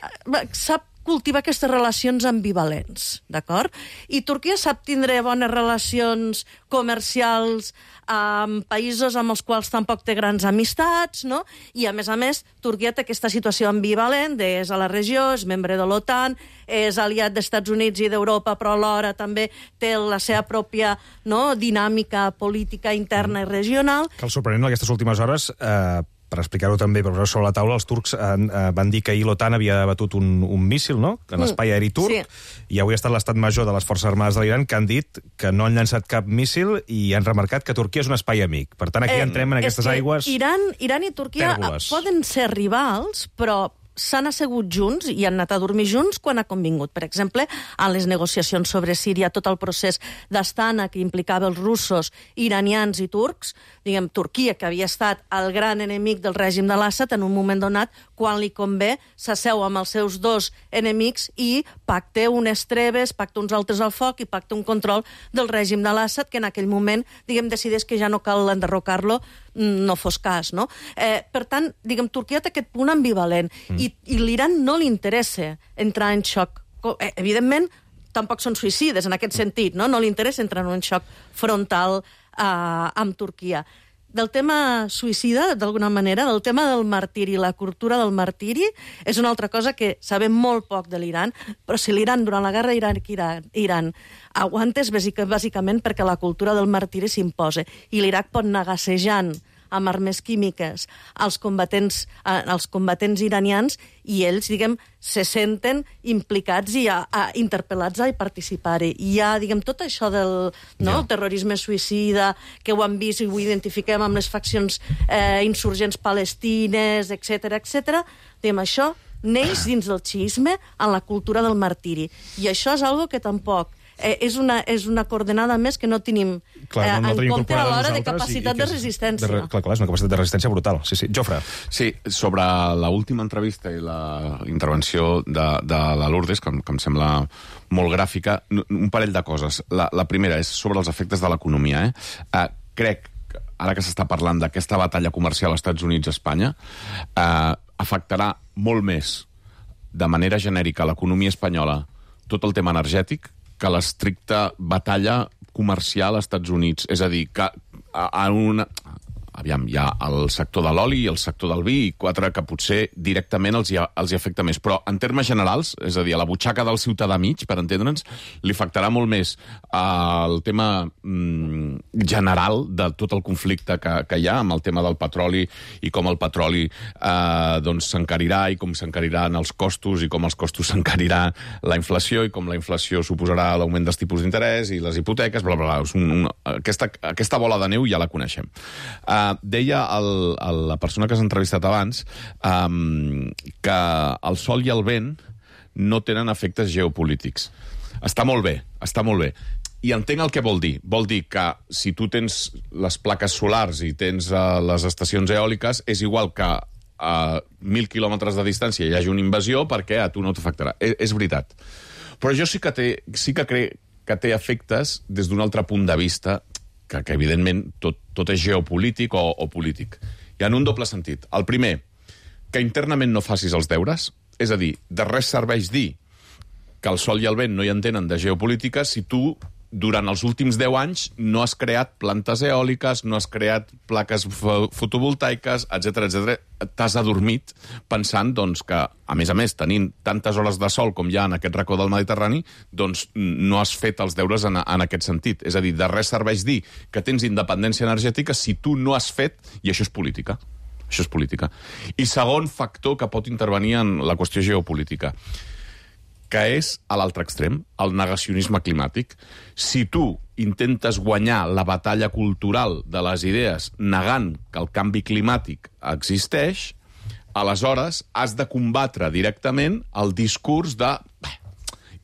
sap cultivar aquestes relacions ambivalents, d'acord? I Turquia sap tindre bones relacions comercials amb països amb els quals tampoc té grans amistats, no? I, a més a més, Turquia té aquesta situació ambivalent, de, és a la regió, és membre de l'OTAN, és aliat dels Estats Units i d'Europa, però alhora també té la seva pròpia, no, dinàmica política interna i regional. Que el sorprenent en aquestes últimes hores... Eh... per explicar-ho també, per posar sobre la taula, els turcs han, eh, van dir que ahir l'OTAN havia abatut un, un míssil, no?, en l'espai aeri turc, sí. I avui ha estat l'estat major de les Forces Armades de l'Iran que han dit que no han llançat cap míssil i han remarcat que Turquia és un espai amic. Per tant, aquí eh, entrem en aquestes aigües... Iran, Iran i Turquia tèrboles. Poden ser rivals, però s'han assegut junts i han anat a dormir junts quan ha convingut. Per exemple, en les negociacions sobre Síria, tot el procés d'Astana que implicava els russos, iranians i turcs, diguem, Turquia, que havia estat el gran enemic del règim de l'Assad, en un moment donat, quan li convé, s'asseu amb els seus dos enemics i pacta unes treves, pacta uns altres al foc i pacta un control del règim de l'Assad, que en aquell moment, diguem, decideix que ja no cal enderrocar-lo, no fos cas, no? Eh, per tant, diguem, Turquia té aquest punt ambivalent mm. i, i l'Iran no li interessa entrar en xoc. Eh, evidentment, tampoc són suïcides en aquest sentit, no? No li interessa entrar en un xoc frontal eh, amb Turquia. Del tema suïcida, d'alguna manera, del tema del martiri, la cultura del martiri, és una altra cosa que sabem molt poc de l'Iran, però si l'Iran, durant la guerra Iraq-Iran, aguanta és bàsicament perquè la cultura del martiri s'imposa. I l'Iraq pot anar gassejant amb armes químiques als combatents, eh, als combatents iranians i ells, diguem, se senten implicats i a, a, interpel·lats a participar-hi. I hi ha, diguem, tot això del no, el terrorisme suïcida, que ho han vist i ho identifiquem amb les faccions eh, insurgents palestines, etcètera, etcètera. Diguem, això neix dins del xiisme en la cultura del martiri. I això és algo que tampoc Eh, és, una, és una coordenada més que no tenim clar, eh, no, no en compte a l'hora de capacitat i, i de resistència. De, clar, clar, és una capacitat de resistència brutal. Sí, sí. Jofre. Sí, sobre l'última entrevista i la intervenció de, de la Lourdes, que, que em sembla molt gràfica, un parell de coses. La, la primera és sobre els efectes de l'economia. Eh? Eh, crec, ara que s'està parlant d'aquesta batalla comercial als Estats Units-Espanya, eh, afectarà molt més de manera genèrica l'economia espanyola tot el tema energètic que l'estricta batalla comercial als Estats Units. És a dir, que en una... Aviam, hi ha el sector de l'oli i el sector del vi, i quatre que potser directament els hi, els hi afecta més. Però en termes generals, és a dir, a la butxaca del ciutadà mig, per entendre'ns, li afectarà molt més el tema mm, general de tot el conflicte que, que hi ha amb el tema del petroli i com el petroli eh, doncs s'encarirà i com s'encariran els costos i com els costos s'encarirà la inflació i com la inflació suposarà l'augment dels tipus d'interès i les hipoteques, bla, bla, bla. Un, un, aquesta, aquesta bola de neu ja la coneixem. Eh, Uh, deia el, el, la persona que s'ha entrevistat abans um, que el sol i el vent no tenen efectes geopolítics. Està molt bé, està molt bé. I entenc el que vol dir. Vol dir que si tu tens les plaques solars i tens uh, les estacions eòliques, és igual que a mil quilòmetres de distància hi hagi una invasió perquè a tu no t'afectarà. És, és veritat. Però jo sí que, té, sí que crec que té efectes des d'un altre punt de vista que, que evidentment, tot, tot és geopolític o, o polític. I en un doble sentit. El primer, que internament no facis els deures, és a dir, de res serveix dir que el sol i el vent no hi entenen de geopolítica si tu, durant els últims deu anys, no has creat plantes eòliques, no has creat plaques fotovoltaiques, etcètera, etcètera. T'has adormit pensant doncs, que, a més a més, tenint tantes hores de sol com hi ha en aquest racó del Mediterrani, doncs no has fet els deures en, en aquest sentit. És a dir, de res serveix dir que tens independència energètica si tu no has fet, i això és política. Això és política. I segon factor que pot intervenir en la qüestió geopolítica, que és a l'altre extrem, el negacionisme climàtic. Si tu intentes guanyar la batalla cultural de les idees negant que el canvi climàtic existeix, aleshores has de combatre directament el discurs de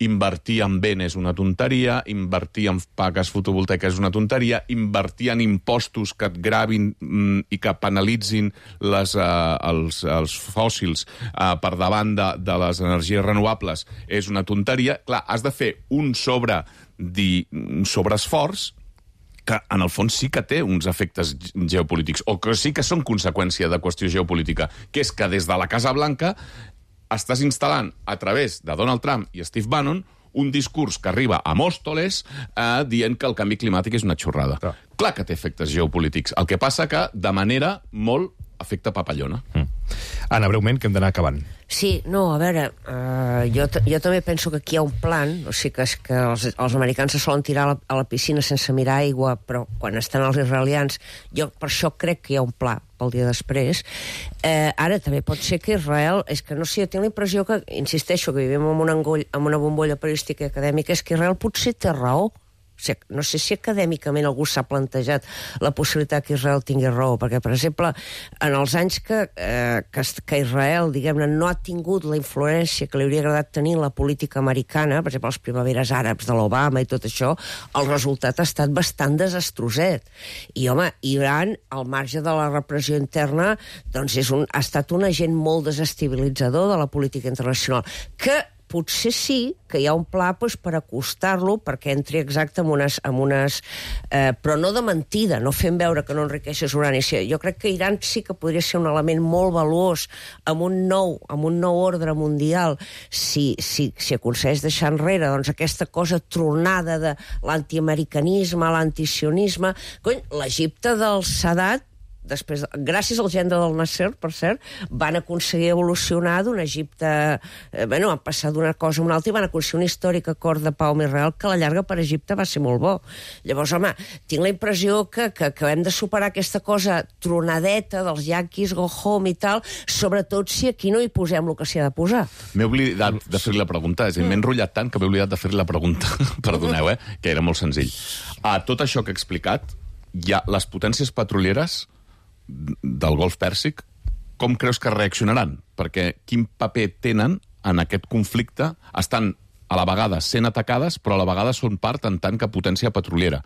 invertir en vent és una tonteria, invertir en plaques fotovoltaiques és una tonteria, invertir en impostos que et gravin mm, i que penalitzin les, uh, els, els fòssils uh, per davant de, de les energies renovables és una tonteria. Clar, has de fer un sobre di, un sobreesforç que en el fons sí que té uns efectes geopolítics, o que sí que són conseqüència de qüestió geopolítica, que és que des de la Casa Blanca estàs instal·lant a través de Donald Trump i Steve Bannon un discurs que arriba a Mòstoles eh, dient que el canvi climàtic és una xorrada. Clar. Clar que té efectes geopolítics. El que passa que, de manera molt, afecta papallona. Mm. Anna, breument, que hem d'anar acabant. Sí, no, a veure, uh, jo, jo també penso que aquí hi ha un plan, o sigui que, és que els, els americans se solen tirar a la, a la piscina sense mirar aigua, però quan estan els israelians, jo per això crec que hi ha un pla pel dia després. Eh, ara, també pot ser que Israel, és que no sé, jo tinc la impressió que, insisteixo, que vivim en una, engoll, en una bombolla periodística i acadèmica, és que Israel potser té raó. O sigui, no sé si acadèmicament algú s'ha plantejat la possibilitat que Israel tingui raó, perquè, per exemple, en els anys que, eh, que, que Israel, diguem-ne, no ha tingut la influència que li hauria agradat tenir la política americana, per exemple, les primaveres àrabs de l'Obama i tot això, el resultat ha estat bastant desastroset. I, home, Iran, al marge de la repressió interna, doncs és un, ha estat un agent molt desestabilitzador de la política internacional, que potser sí que hi ha un pla doncs, per acostar-lo perquè entri exacte en unes... En unes eh, però no de mentida, no fent veure que no enriqueixes urani. Jo crec que Iran sí que podria ser un element molt valuós amb un nou, amb un nou ordre mundial si, si, si aconsegueix deixar enrere doncs, aquesta cosa tronada de l'antiamericanisme, l'antisionisme. Cony, l'Egipte del Sadat, després, gràcies al gendre del Nasser, per cert, van aconseguir evolucionar d'un Egipte... Eh, bueno, van passar d'una cosa a una altra i van aconseguir un històric acord de pau amb Israel que a la llarga per Egipte va ser molt bo. Llavors, home, tinc la impressió que, que, que hem de superar aquesta cosa tronadeta dels yanquis, go home i tal, sobretot si aquí no hi posem el que s'hi ha de posar. M'he oblidat de fer-li la pregunta, és a dir, m'he enrotllat tant que m'he oblidat de fer-li la pregunta. Perdoneu, eh? Que era molt senzill. A tot això que he explicat, hi ha les potències petrolieres del Golf Pèrsic, com creus que reaccionaran? Perquè quin paper tenen en aquest conflicte? Estan a la vegada sent atacades, però a la vegada són part en tant que potència petroliera.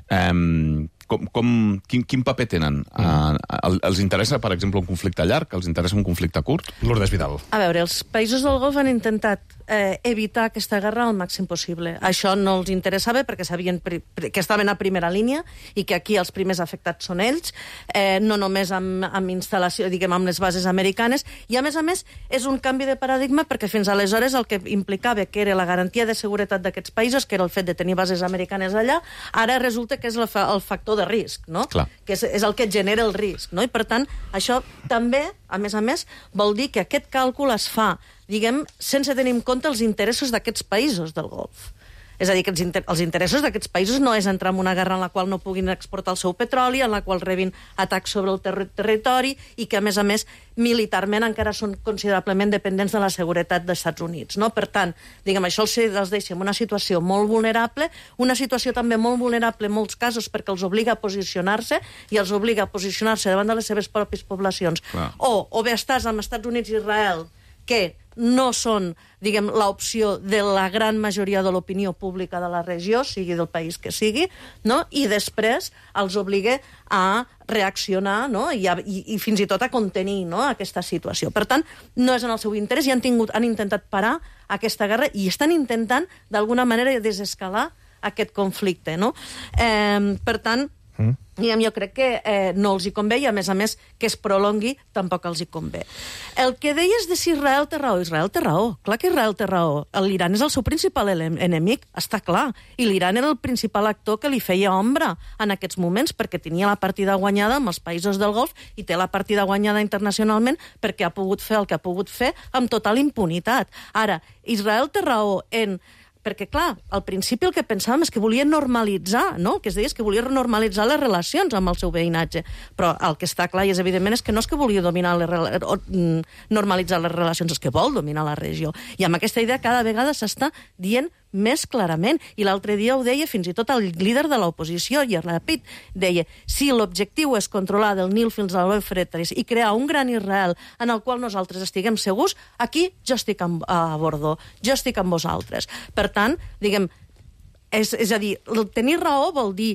Um, com, com, quin, quin paper tenen? Uh, els interessa, per exemple, un conflicte llarg? Els interessa un conflicte curt? Lourdes Vidal. A veure, els països del Golf han intentat eh, evitar aquesta guerra al màxim possible. Això no els interessava perquè sabien que estaven a primera línia i que aquí els primers afectats són ells, eh, no només amb, amb instal·lació, diguem, amb les bases americanes, i a més a més és un canvi de paradigma perquè fins aleshores el que implicava que era la garantia de seguretat d'aquests països, que era el fet de tenir bases americanes allà, ara resulta que és el, fa, el factor de risc, no? Clar. Que és, és el que genera el risc, no? I per tant, això també, a més a més, vol dir que aquest càlcul es fa, diguem, sense tenir en compte els interessos d'aquests països del Golf. És a dir, que els, inter els interessos d'aquests països no és entrar en una guerra en la qual no puguin exportar el seu petroli, en la qual rebin atacs sobre el ter territori i que, a més a més, militarment encara són considerablement dependents de la seguretat dels Estats Units. No? Per tant, diguem, això els, els deixa en una situació molt vulnerable, una situació també molt vulnerable en molts casos perquè els obliga a posicionar-se i els obliga a posicionar-se davant de les seves pròpies poblacions. Clar. O, o bé estàs amb Estats Units i Israel, que no són, diguem, l'opció de la gran majoria de l'opinió pública de la regió, sigui del país que sigui, no? I després els obliga a reaccionar, no? I, a, i, i fins i tot a contenir, no? Aquesta situació. Per tant, no és en el seu interès i han, tingut, han intentat parar aquesta guerra i estan intentant, d'alguna manera, desescalar aquest conflicte, no? Eh, per tant, mm. jo crec que eh, no els hi convé i, a més a més, que es prolongui tampoc els hi convé. El que deies de si Israel té raó, Israel té raó. Clar que Israel té raó. L'Iran és el seu principal enemic, està clar. I l'Iran era el principal actor que li feia ombra en aquests moments perquè tenia la partida guanyada amb els països del Golf i té la partida guanyada internacionalment perquè ha pogut fer el que ha pogut fer amb total impunitat. Ara, Israel té raó en... Perquè, clar, al principi el que pensàvem és que volia normalitzar, no? Que es deia que volia normalitzar les relacions amb el seu veïnatge. Però el que està clar i és evidentment és que no és que volia dominar les o, normalitzar les relacions, és que vol dominar la regió. I amb aquesta idea cada vegada s'està dient més clarament. I l'altre dia ho deia fins i tot el líder de l'oposició, Yair Lapid, deia, si l'objectiu és controlar del Nil fins a l'Eufrates i crear un gran Israel en el qual nosaltres estiguem segurs, aquí jo estic amb, a bordó, jo estic amb vosaltres. Per tant, diguem, és, és a dir, tenir raó vol dir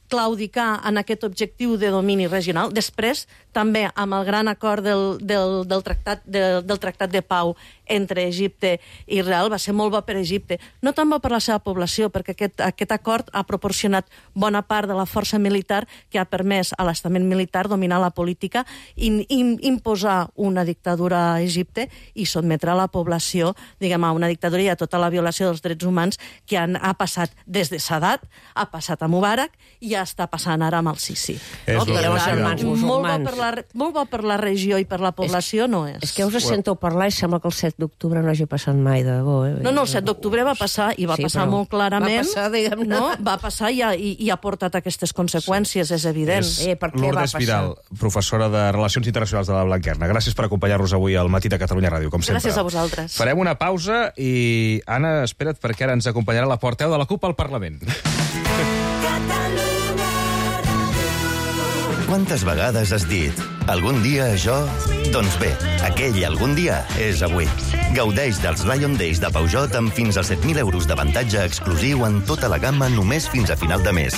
claudicar en aquest objectiu de domini regional. Després, també, amb el gran acord del, del, del, tractat, del, del tractat de pau entre Egipte i Israel va ser molt bo per Egipte. No tant bo per la seva població, perquè aquest, aquest acord ha proporcionat bona part de la força militar que ha permès a l'estament militar dominar la política i, i imposar una dictadura a Egipte i sotmetre a la població, diguem, a una dictadura i a tota la violació dels drets humans que han, ha passat des de Sadat, ha passat a Mubarak i ja està passant ara amb el Sisi. No? Però els germans molt, bo musulmans. per la, molt bo per la regió i per la població és, no és. És que us sento parlar i sembla que el set d'octubre no hagi passat mai de bo. Eh? No, no, el set d'octubre va passar i va sí, passar molt clarament. Va passar, diguem-ne. No? Va passar i ha, i, i ha portat aquestes conseqüències, és evident. És eh, per què va Lourdes passar? Vidal, professora de Relacions Internacionals de la Blanquerna. Gràcies per acompanyar-nos avui al Matí de Catalunya Ràdio, com sempre. Gràcies a vosaltres. Farem una pausa i, Anna, espera't, perquè ara ens acompanyarà la portaveu de la CUP al Parlament. Quantes vegades has dit algun dia això? Doncs bé, aquell algun dia és avui. Gaudeix dels Lion Days de Peugeot amb fins a set mil euros d'avantatge exclusiu en tota la gamma només fins a final de mes.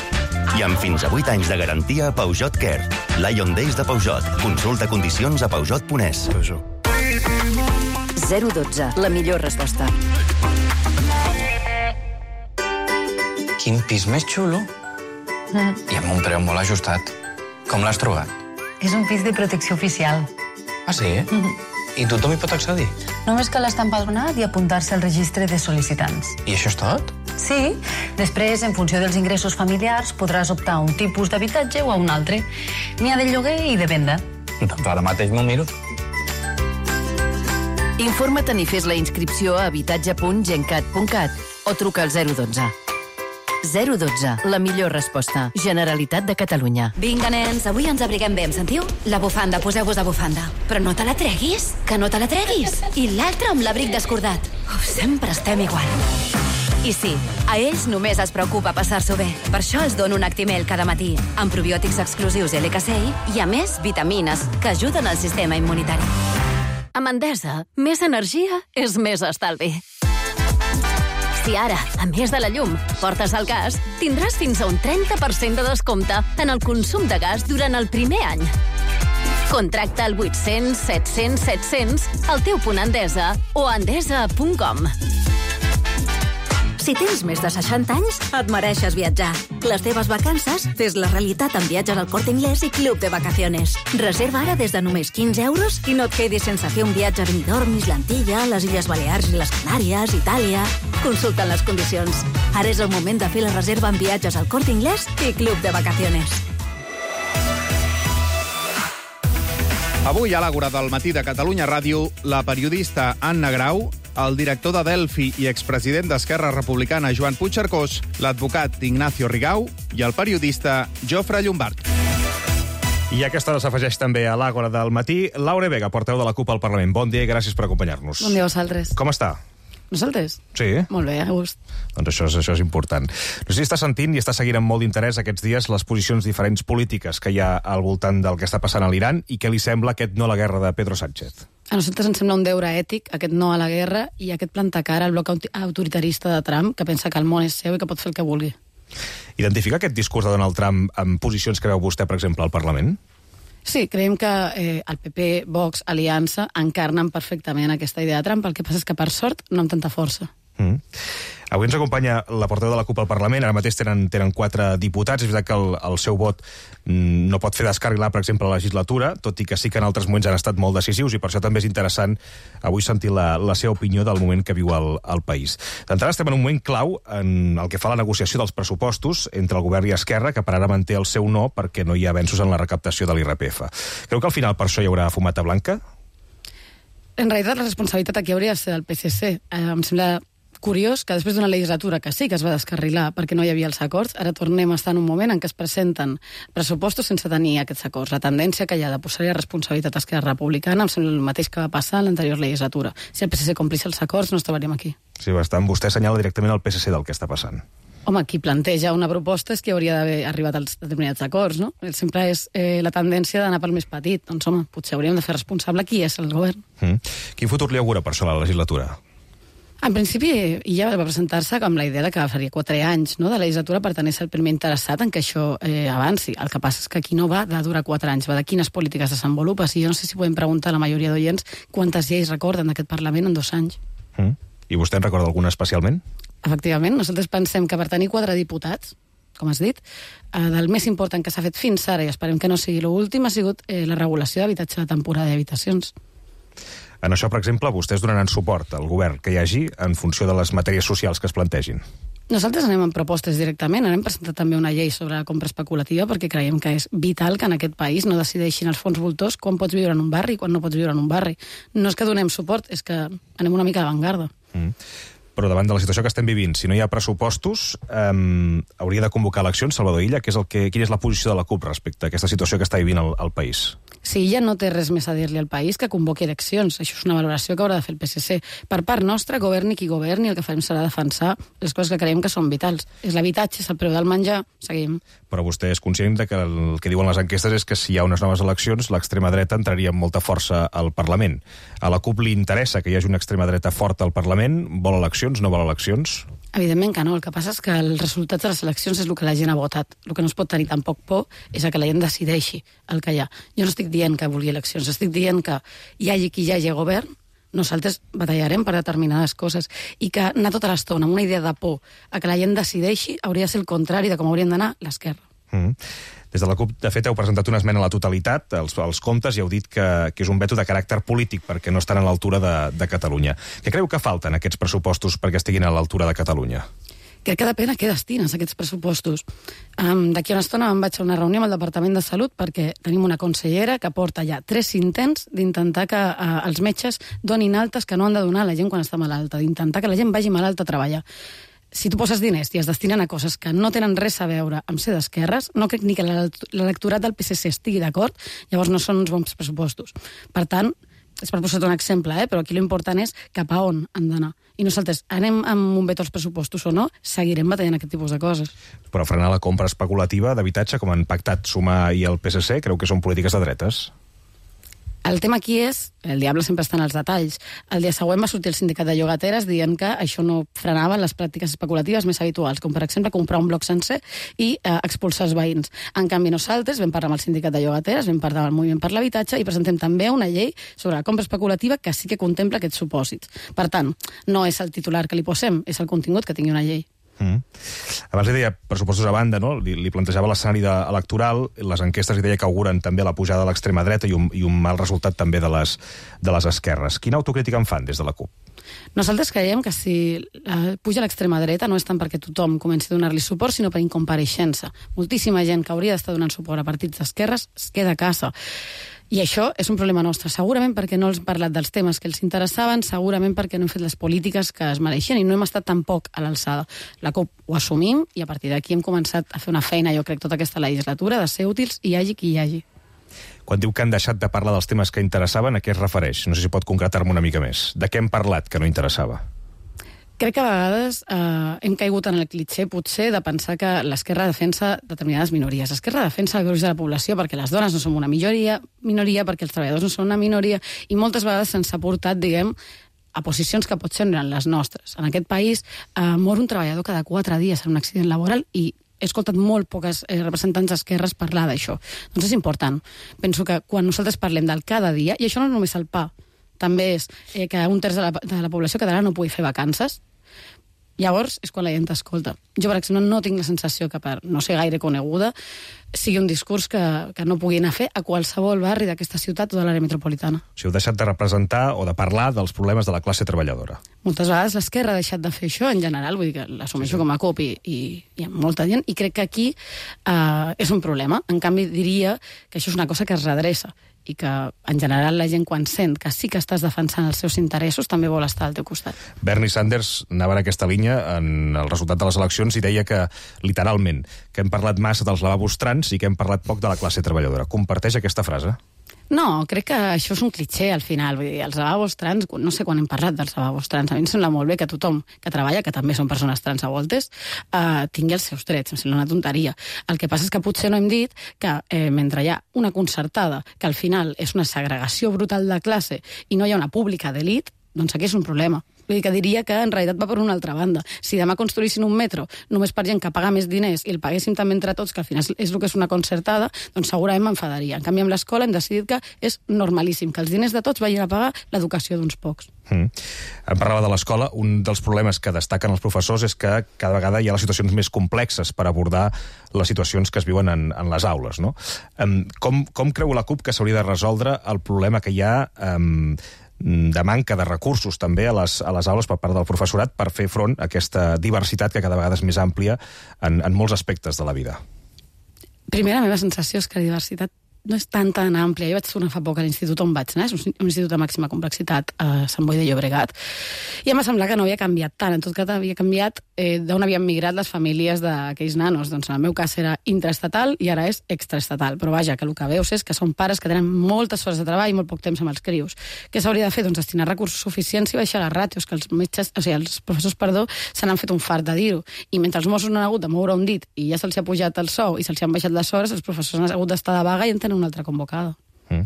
I amb fins a vuit anys de garantia a Peugeot Care. Lion Days de Peugeot. Consulta condicions a peugeot punt es. zero dotze, la millor resposta. Quin pis més xulo. Mm. I amb un preu molt ajustat. Com l'has trobat? És un pis de protecció oficial. Ah, sí? Mm-hmm. I tothom hi pot accedir? Només cal estar empadronat i apuntar-se al registre de sol·licitants. I això és tot? Sí. Després, en funció dels ingressos familiars, podràs optar a un tipus d'habitatge o a un altre. N'hi ha de lloguer i de venda. Doncs ara mateix m'ho miro. Informa't i fes la inscripció a habitatge punt gencat punt cat o truca al zero dotze. zero dotze, la millor resposta. Generalitat de Catalunya. Vinga, nens, avui ens abriguem bé, em sentiu? La bufanda, poseu-vos la bufanda. Però no te la treguis, que no te la treguis. I l'altre amb l'abric descordat. Uf, sempre estem igual. I sí, a ells només es preocupa passar-s'ho bé. Per això els dono un Actimel cada matí, amb probiòtics exclusius L K C I i, a més, vitamines que ajuden al sistema immunitari. Amb Endesa, més energia és més estalvi. Si ara, a més de la llum, portes el gas, tindràs fins a un trenta per cent de descompte en el consum de gas durant el primer any. Contracta al vuit-cents set-cents set-cents al teu punt Endesa o a endesa punt com. Si tens més de seixanta anys, et mereixes viatjar. Les teves vacances, fes la realitat amb viatges al Corte Inglés i Club de Vacaciones. Reserva ara des de només quinze euros i no et quedis sense fer un viatge a Benidorm, Islantilla, les Illes Balears i les Canàries, Itàlia... Consulta les condicions. Ara és el moment de fer la reserva amb viatges al Corte Inglés i Club de Vacaciones. Avui a l'Àgora del Matí de Catalunya Ràdio, la periodista Anna Grau, el director de Delphi i expresident d'Esquerra Republicana Joan Puigcercós, l'advocat Ignacio Rigau i el periodista Jofre Llombart. I a aquesta hora s'afegeix també a l'Àgora del Matí Laura Vega, portaveu de la CUP al Parlament. Bon dia i gràcies per acompanyar-nos. Bon dia a vosaltres. Com està? Nosaltres? Sí. Molt bé, a gust. Doncs això és, això és important. No sé si està sentint i està seguint amb molt d'interès aquests dies les posicions diferents polítiques que hi ha al voltant del que està passant a l'Iran i què li sembla aquest no a la guerra de Pedro Sánchez. A nosaltres ens sembla un deure ètic, aquest no a la guerra i aquest plantar cara al bloc autoritarista de Trump, que pensa que el món és seu i que pot fer el que vulgui. Identifica aquest discurs de Donald Trump amb posicions que veu vostè, per exemple, al Parlament? Sí, creiem que eh, el P P, Vox, Aliança encarnen perfectament aquesta idea de Trump. El que passa és que, per sort, no amb tanta força. Mm. Avui ens acompanya la portaveu de la CUP al Parlament. Ara mateix tenen, tenen quatre diputats. És veritat que el, el seu vot no pot fer descarrilar, per exemple, la legislatura, tot i que sí que en altres moments han estat molt decisius i per això també és interessant avui sentir la, la seva opinió del moment que viu el, el país. D'entrada estem en un moment clau en el que fa la negociació dels pressupostos entre el govern i Esquerra, que per ara manté el seu no perquè no hi ha avenços en la recaptació de l'I R P F. Creu que al final per això hi haurà fumata blanca? En realitat, la responsabilitat aquí hauria de ser del P S C. Eh, em sembla curiós que després d'una legislatura que sí que es va descarrilar perquè no hi havia els acords, ara tornem a estar en un moment en què es presenten pressupostos sense tenir aquests acords. La tendència que hi ha de posar-hi responsabilitat a Esquerra Republicana em sembla el mateix que va passar en l'anterior legislatura. Si el P S C complís els acords no estaríem aquí. Sí, bastant. Vostè assenyala directament al P S C del que està passant. Home, qui planteja una proposta és que hauria d'haver arribat als determinats acords, no? Sempre és eh, la tendència d'anar pel més petit. Doncs, home, potser hauríem de fer responsable qui és el govern. Mm. Quin futur li augura per això la legislatura? En principi, ella va presentar-se com la idea de que faria quatre anys no, de legislatura per tenir ser el primer interessat en que això eh, avanci. El que passa és que aquí no va de durar quatre anys, va de quines polítiques desenvolupes. I jo no sé si podem preguntar a la majoria d'oients quantes lleis recorden d'aquest Parlament en dos anys. Mm. I vostè en recorda alguna especialment? Efectivament, nosaltres pensem que per tenir quatre diputats, com has dit, eh, del més important que s'ha fet fins ara, i esperem que no sigui l'últim, ha sigut eh, la regulació d'habitatge de temporada i habitacions. En això, per exemple, vostès donaran suport al govern que hi hagi en funció de les matèries socials que es plantegin. Nosaltres anem amb propostes directament, anem presentat també una llei sobre la compra especulativa perquè creiem que és vital que en aquest país no decideixin els fons voltors quan pots viure en un barri i quan no pots viure en un barri. No és que donem suport, és que anem una mica d'avantgarda. Mm. Però davant de la situació que estem vivint, si no hi ha pressupostos, eh, hauria de convocar eleccions, Salvador Illa, que és el que, quina és la posició de la CUP respecte a aquesta situació que està vivint el, el país? Si ella no té res més a dir-li al país, que convoqui eleccions. Això és una valoració que haurà de fer el P S C. Per part nostra, governi qui governi, el que farem serà defensar les coses que creiem que són vitals. És l'habitatge, és el preu del menjar, seguim. Però vostè és conscient de que el que diuen les enquestes és que si hi ha unes noves eleccions, l'extrema dreta entraria amb molta força al Parlament. A la CUP li interessa que hi hagi una extrema dreta forta al Parlament? Vol eleccions, no vol eleccions? Evidentment que no. El que passa és que els resultats de les eleccions és el que la gent ha votat. El que no es pot tenir tampoc por és que la gent decideixi el que hi ha. Jo no estic dient que vulgui eleccions, estic dient que hi hagi qui hi hagi govern, nosaltres batallarem per determinades coses i que anar tota l'estona amb una idea de por a que la gent decideixi hauria de ser el contrari de com haurien d'anar l'esquerra. Mm. Des de la CUP, de fet, heu presentat una esmena a la totalitat, als, als comptes, i heu dit que, que és un veto de caràcter polític perquè no estan a l'altura de, de Catalunya. Què creu que falten aquests pressupostos perquè estiguin a l'altura de Catalunya? Crec que depèn a què destines aquests pressupostos. Um, D'aquí una estona em vaig a una reunió amb el Departament de Salut perquè tenim una consellera que porta ja tres intents d'intentar que uh, els metges donin altes que no han de donar a la gent quan està malalta, d'intentar que la gent vagi malalta a treballar. Si tu poses diners i es destinen a coses que no tenen res a veure amb ser d'esquerres, no crec ni que l'electorat del P S C estigui d'acord, llavors no són uns bons pressupostos. Per tant, és per posar un exemple, eh? Però aquí l'important és cap a on han d'anar. I nosaltres anem amb un veto als pressupostos o no, seguirem batallant aquest tipus de coses. Però frenar la compra especulativa d'habitatge, com han pactat Sumar i el P S C, creu que són polítiques de dretes? El tema aquí és, el diable sempre està en els detalls. El dia següent va sortir el sindicat de llogateres dient que això no frenava les pràctiques especulatives més habituals, com per exemple comprar un bloc sencer i eh, expulsar els veïns. En canvi, nosaltres vam parlar amb el sindicat de llogateres, vam parlar amb el Moviment per l'Habitatge i presentem també una llei sobre la compra especulativa que sí que contempla aquests supòsits. Per tant, no és el titular que li posem, és el contingut que tingui una llei. Mm. Abans li deia pressupostos a banda, no? Li, li plantejava l'escenari electoral, les enquestes li deia que auguren també la pujada de l'extrema dreta i un, i un mal resultat també de les, de les esquerres. Quina autocrítica en fan des de la CUP? Nosaltres creiem que si eh, puja l'extrema dreta no és tant perquè tothom comenci a donar-li suport, sinó per incompareixença. Moltíssima gent que hauria d'estar donant suport a partits d'esquerres es queda a casa. I això és un problema nostre, segurament perquè no els hem parlat dels temes que els interessaven, segurament perquè no hem fet les polítiques que es mereixen i no hem estat tampoc a l'alçada. La CUP ho assumim i a partir d'aquí hem començat a fer una feina, jo crec, tota aquesta legislatura, de ser útils i hi hagi qui hi hagi. Quan diu que han deixat de parlar dels temes que interessaven, a què es refereix? No sé si pot concretar-me una mica més. De què hem parlat que no interessava? Crec que a vegades eh, hem caigut en el clitxer, potser, de pensar que l'esquerra defensa determinades minories. L'esquerra defensa el gruix de la població perquè les dones no som una minoria, minoria perquè els treballadors no són una minoria, i moltes vegades se'ns ha portat, diguem, a posicions que potser no eren les nostres. En aquest país eh, mor un treballador cada quatre dies en un accident laboral i he escoltat molt poques eh, representants d'esquerres parlar d'això. Doncs és important. Penso que quan nosaltres parlem del cada dia, i això no és només el pa, també és eh, que un terç de la, de la població catalana no pugui fer vacances, llavors és quan la gent t'escolta. Jo, per exemple, no tinc la sensació que per no ser gaire coneguda sigui un discurs que, que no pugui anar a fer a qualsevol barri d'aquesta ciutat o de l'àrea metropolitana. O sigui, heu deixat de representar o de parlar dels problemes de la classe treballadora. Moltes vegades l'esquerra ha deixat de fer això en general, vull dir que l'assumeixo sí, sí. com a CUP i, i, i amb molta gent, i crec que aquí eh, és un problema. En canvi, diria que això és una cosa que es redreça i que, en general, la gent quan sent que sí que estàs defensant els seus interessos també vol estar al teu costat. Bernie Sanders anava en aquesta línia en el resultat de les eleccions i deia que, literalment, que hem parlat massa dels lavabos trans i que hem parlat poc de la classe treballadora. Comparteix aquesta frase? No, crec que això és un clitxer al final. Vull dir, els lavabos trans, no sé quan hem parlat dels lavabos trans, a mi em sembla molt bé que tothom que treballa, que també són persones trans a voltes, eh, tingui els seus drets, em sembla una tonteria. El que passa és que potser no hem dit que eh, mentre hi ha una concertada, que al final és una segregació brutal de classe i no hi ha una pública d'elit, doncs aquí és un problema. Vull dir que diria que en realitat va per una altra banda. Si demà construïssin un metro només per gent que paga més diners i el paguéssim també entre tots, que al final és el que és una concertada, doncs segurament m'enfadaria. En canvi, amb l'escola hem decidit que és normalíssim, que els diners de tots vagin a pagar l'educació d'uns pocs. Mm. Em parlava de l'escola. Un dels problemes que destaquen els professors és que cada vegada hi ha les situacions més complexes per abordar les situacions que es viuen en, en les aules, no? Um, com, com creu la CUP que s'hauria de resoldre el problema que hi ha um, de manca de recursos també a les, a les aules per part del professorat per fer front a aquesta diversitat que cada vegada és més àmplia en, en molts aspectes de la vida? Primer, la meva sensació és que la diversitat no és tan, tan àmplia. Jo vaig tornar fa poc a l'institut on vaig anar, és un institut de màxima complexitat a Sant Boi de Llobregat, i em va semblar que no havia canviat tant. En tot cas, havia canviat eh, d'on havien migrat les famílies d'aquells nanos. Doncs en el meu cas era intraestatal i ara és extraestatal. Però vaja, que el que veus és que són pares que tenen moltes hores de treball i molt poc temps amb els crios. Què s'hauria de fer? Doncs destinar recursos suficients i baixar les ràtios, que els metges, o sigui, els professors, perdó, se n'han fet un fart de dir-ho. I mentre els Mossos no han hagut de moure un dit i ja se'ls ha pujat el sou i se'ls han baixat les hores, els professors han hagut d'estar de vaga i en tenen una altra convocada. Mm.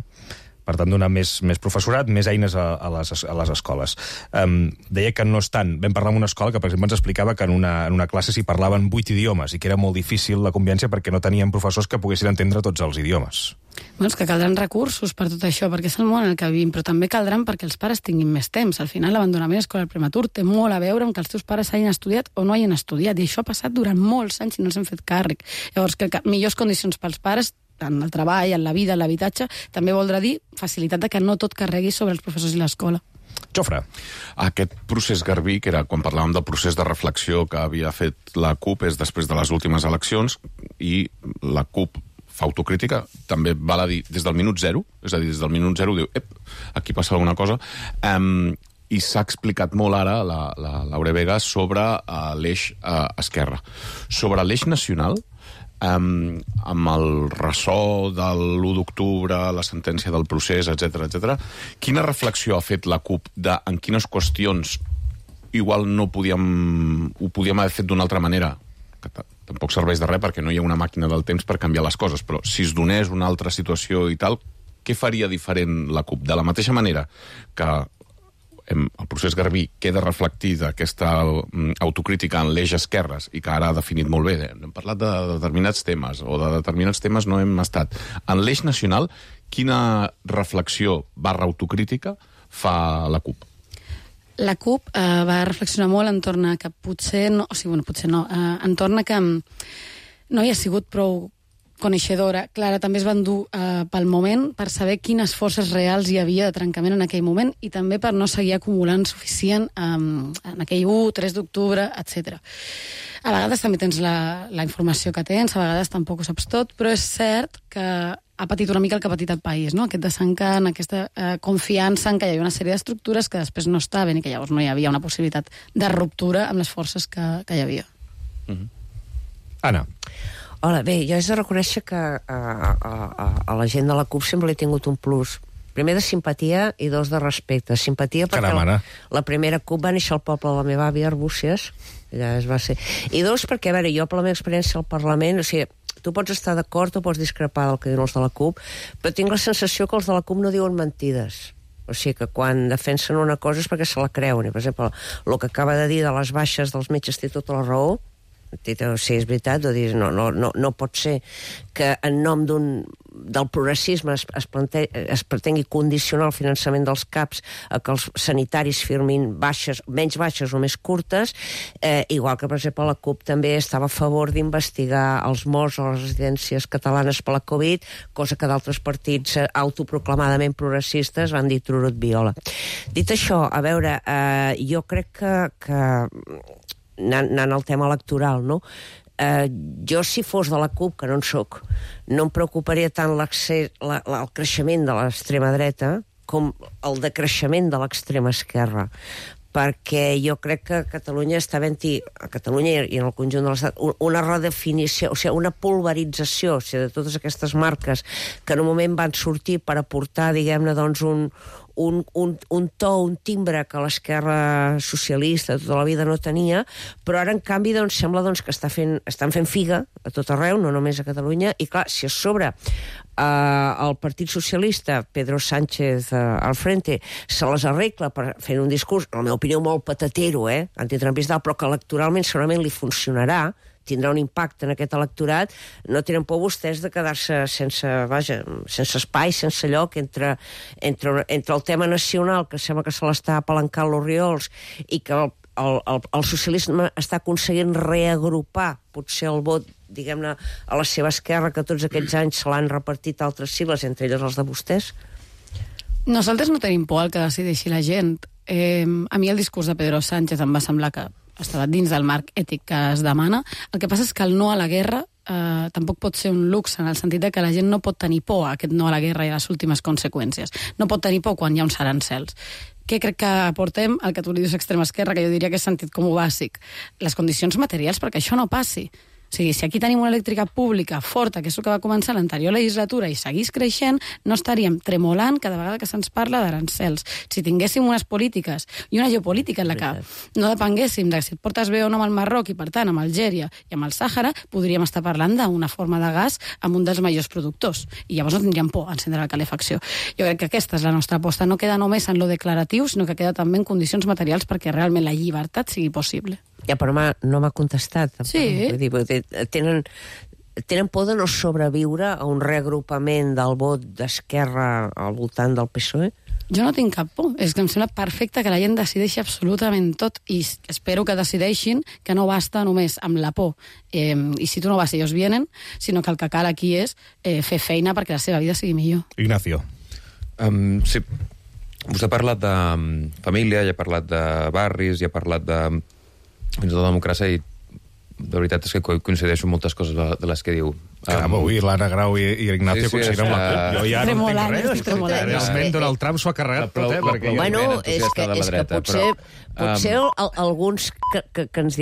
Per tant, donar més, més professorat, més eines a, a, les, a les escoles. Um, deia que no és tant. Vam parlar amb una escola que, per exemple, ens explicava que en una, en una classe s'hi parlaven vuit idiomes i que era molt difícil la convivència perquè no tenien professors que poguessin entendre tots els idiomes. Bueno, és que caldran recursos per tot això, perquè és el món en el que vivim, però també caldran perquè els pares tinguin més temps. Al final, l'abandonament escolar prematur té molt a veure amb que els teus pares hagin estudiat o no hagin estudiat, i això ha passat durant molts anys i no els hem fet càrrec. Llavors, que millors condicions pels pares en el treball, en la vida, en l'habitatge, també voldrà dir facilitat de que no tot carregui sobre els professors i l'escola. Jofre. Aquest procés Garbí, que era quan parlàvem del procés de reflexió que havia fet la CUP, és després de les últimes eleccions, i la CUP fa autocrítica, també val a dir des del minut zero, és a dir, des del minut zero diu, ep, aquí passa alguna cosa, um, i s'ha explicat molt ara la, la Laura Vega sobre uh, l'eix uh, esquerra. Sobre l'eix nacional, Um, amb el ressò de l'u d'octubre, la sentència del procés, etcètera, etcètera, quina reflexió ha fet la CUP de en quines qüestions igual no podíem, ho podíem haver fet d'una altra manera? Que tampoc serveix de res perquè no hi ha una màquina del temps per canviar les coses, però si es donés una altra situació i tal, què faria diferent la CUP? De la mateixa manera que el procés Garbí queda reflectit aquesta autocrítica en l'eix esquerres i que ara ha definit molt bé. Hem parlat de determinats temes o de determinats temes no hem estat. En l'eix nacional, quina reflexió barra autocrítica fa la CUP? La CUP eh, va reflexionar molt entorn a que potser no, o sigui, bueno, potser no, eh, entorn a que no hi ha sigut prou coneixedora. Clara, també es van dur eh, pel moment per saber quines forces reals hi havia de trencament en aquell moment i també per no seguir acumulant suficient eh, en aquell u, tres d'octubre, etcètera. A vegades també tens la, la informació que tens, a vegades tampoc ho saps tot, però és cert que ha patit una mica el que ha patit el país, no? Aquest desencant, aquesta eh, confiança en que hi havia una sèrie d'estructures que després no estaven i que llavors no hi havia una possibilitat de ruptura amb les forces que, que hi havia. Mm-hmm. Anna. Hola, bé, jo he de reconèixer que a, a, a la gent de la CUP sempre he tingut un plus. Primer de simpatia i dos de respecte. Simpatia perquè Caram, la, la primera CUP va néixer al poble de la meva àvia, Arbúcies, allà es va ser. I dos perquè, a veure, jo per la meva experiència al Parlament, o sigui, tu pots estar d'acord o pots discrepar del que diuen els de la CUP, però tinc la sensació que els de la CUP no diuen mentides. O sigui que quan defensen una cosa és perquè se la creuen. I, per exemple, el que acaba de dir de les baixes dels metges té tota la raó. Sí, és veritat, no, no, no, no pot ser que en nom d'un, del progressisme es, es, plante, es pretengui condicionar el finançament dels CAPs a que els sanitaris firmin baixes, menys baixes o més curtes, eh, igual que, per exemple, la CUP també estava a favor d'investigar els morts a les residències catalanes per la Covid, cosa que d'altres partits autoproclamadament progressistes van dir trurut viola. Dit això, a veure, eh, jo crec que... que anant al tema electoral, no? Eh, jo, si fos de la CUP, que no en soc, no em preocuparia tant l'accés, la, la, el creixement de l'extrema dreta com el decreixement de l'extrema esquerra, perquè jo crec que Catalunya està havent-hi, a Catalunya i en el conjunt de l'Estat, una redefinició, o sigui, una pulverització, o sigui, de totes aquestes marques que en un moment van sortir per aportar, diguem-ne, doncs, un, un, un, un to, un timbre que l'esquerra socialista tota la vida no tenia, però ara, en canvi, doncs, sembla doncs, que està fent, estan fent figa a tot arreu, no només a Catalunya, i clar, si a sobre eh, el Partit Socialista, Pedro Sánchez eh, al frente, se les arregla per fer un discurs, en la meva opinió, molt patatero, eh, antitrumpista, però que electoralment segurament li funcionarà, tindrà un impacte en aquest electorat, no tenen por vostès de quedar-se sense, vaja, sense espai, sense lloc entre, entre, entre el tema nacional, que sembla que se l'està apalancant l'Oriols, i que el, el, el, el socialisme està aconseguint reagrupar potser el vot, diguem-ne, a la seva esquerra, que tots aquests anys se l'han repartit altres sigles, entre elles els de vostès? Nosaltres no tenim por al que decideixi la gent. Eh, a mi el discurs de Pedro Sánchez em va semblar que estava dins del marc ètic que es demana. El que passa és que el no a la guerra eh, tampoc pot ser un luxe, en el sentit de que la gent no pot tenir por a aquest no a la guerra i a les últimes conseqüències. No pot tenir por quan hi ha uns arancels. Què crec que aportem al que tu li dius extrema esquerra, que jo diria que és sentit comú bàsic? Les condicions materials perquè això no passi. O sigui, si aquí tenim una elèctrica pública forta, que és el que va començar l'anterior legislatura, i seguís creixent, no estaríem tremolant cada vegada que se'ns parla d'arancels. Si tinguéssim unes polítiques i una geopolítica en la que no depenguéssim de si et portes bé o no amb el Marroc i, per tant, amb Algèria i amb el Sàhara, podríem estar parlant d'una forma de gas amb un dels majors productors. I llavors no tindríem por a encendre la calefacció. Jo crec que aquesta és la nostra aposta. No queda només en lo declaratiu, sinó que queda també en condicions materials perquè realment la llibertat sigui possible. Ja, però no m'ha contestat. Sí. Vull dir, vull dir, tenen, tenen por de no sobreviure a un reagrupament del vot d'esquerra al voltant del P S O E? Jo no tinc cap por. És que em sembla perfecte que la gent decideixi absolutament tot, i espero que decideixin que no basta només amb la por. Eh, I si tu no vas, ells vienen, sinó que el que cal aquí és eh, fer feina perquè la seva vida sigui millor. Ignacio. Um, sí. Vostè ha parlat de um, família, ja ha parlat de barris, ja ha parlat de fins i tot democràcia, i de veritat és que coincideixo amb moltes coses de les que diu. Caram, avui l'Anna Grau i, i l'Ignacio sí, sí, coincideixen amb la CUP. Jo ja tremolant, no entenc res. tremolant. Realment Donald Trump s'ho ha carregat tot, eh? Perquè Bueno, és que, és que potser, potser alguns que, que, que ens diem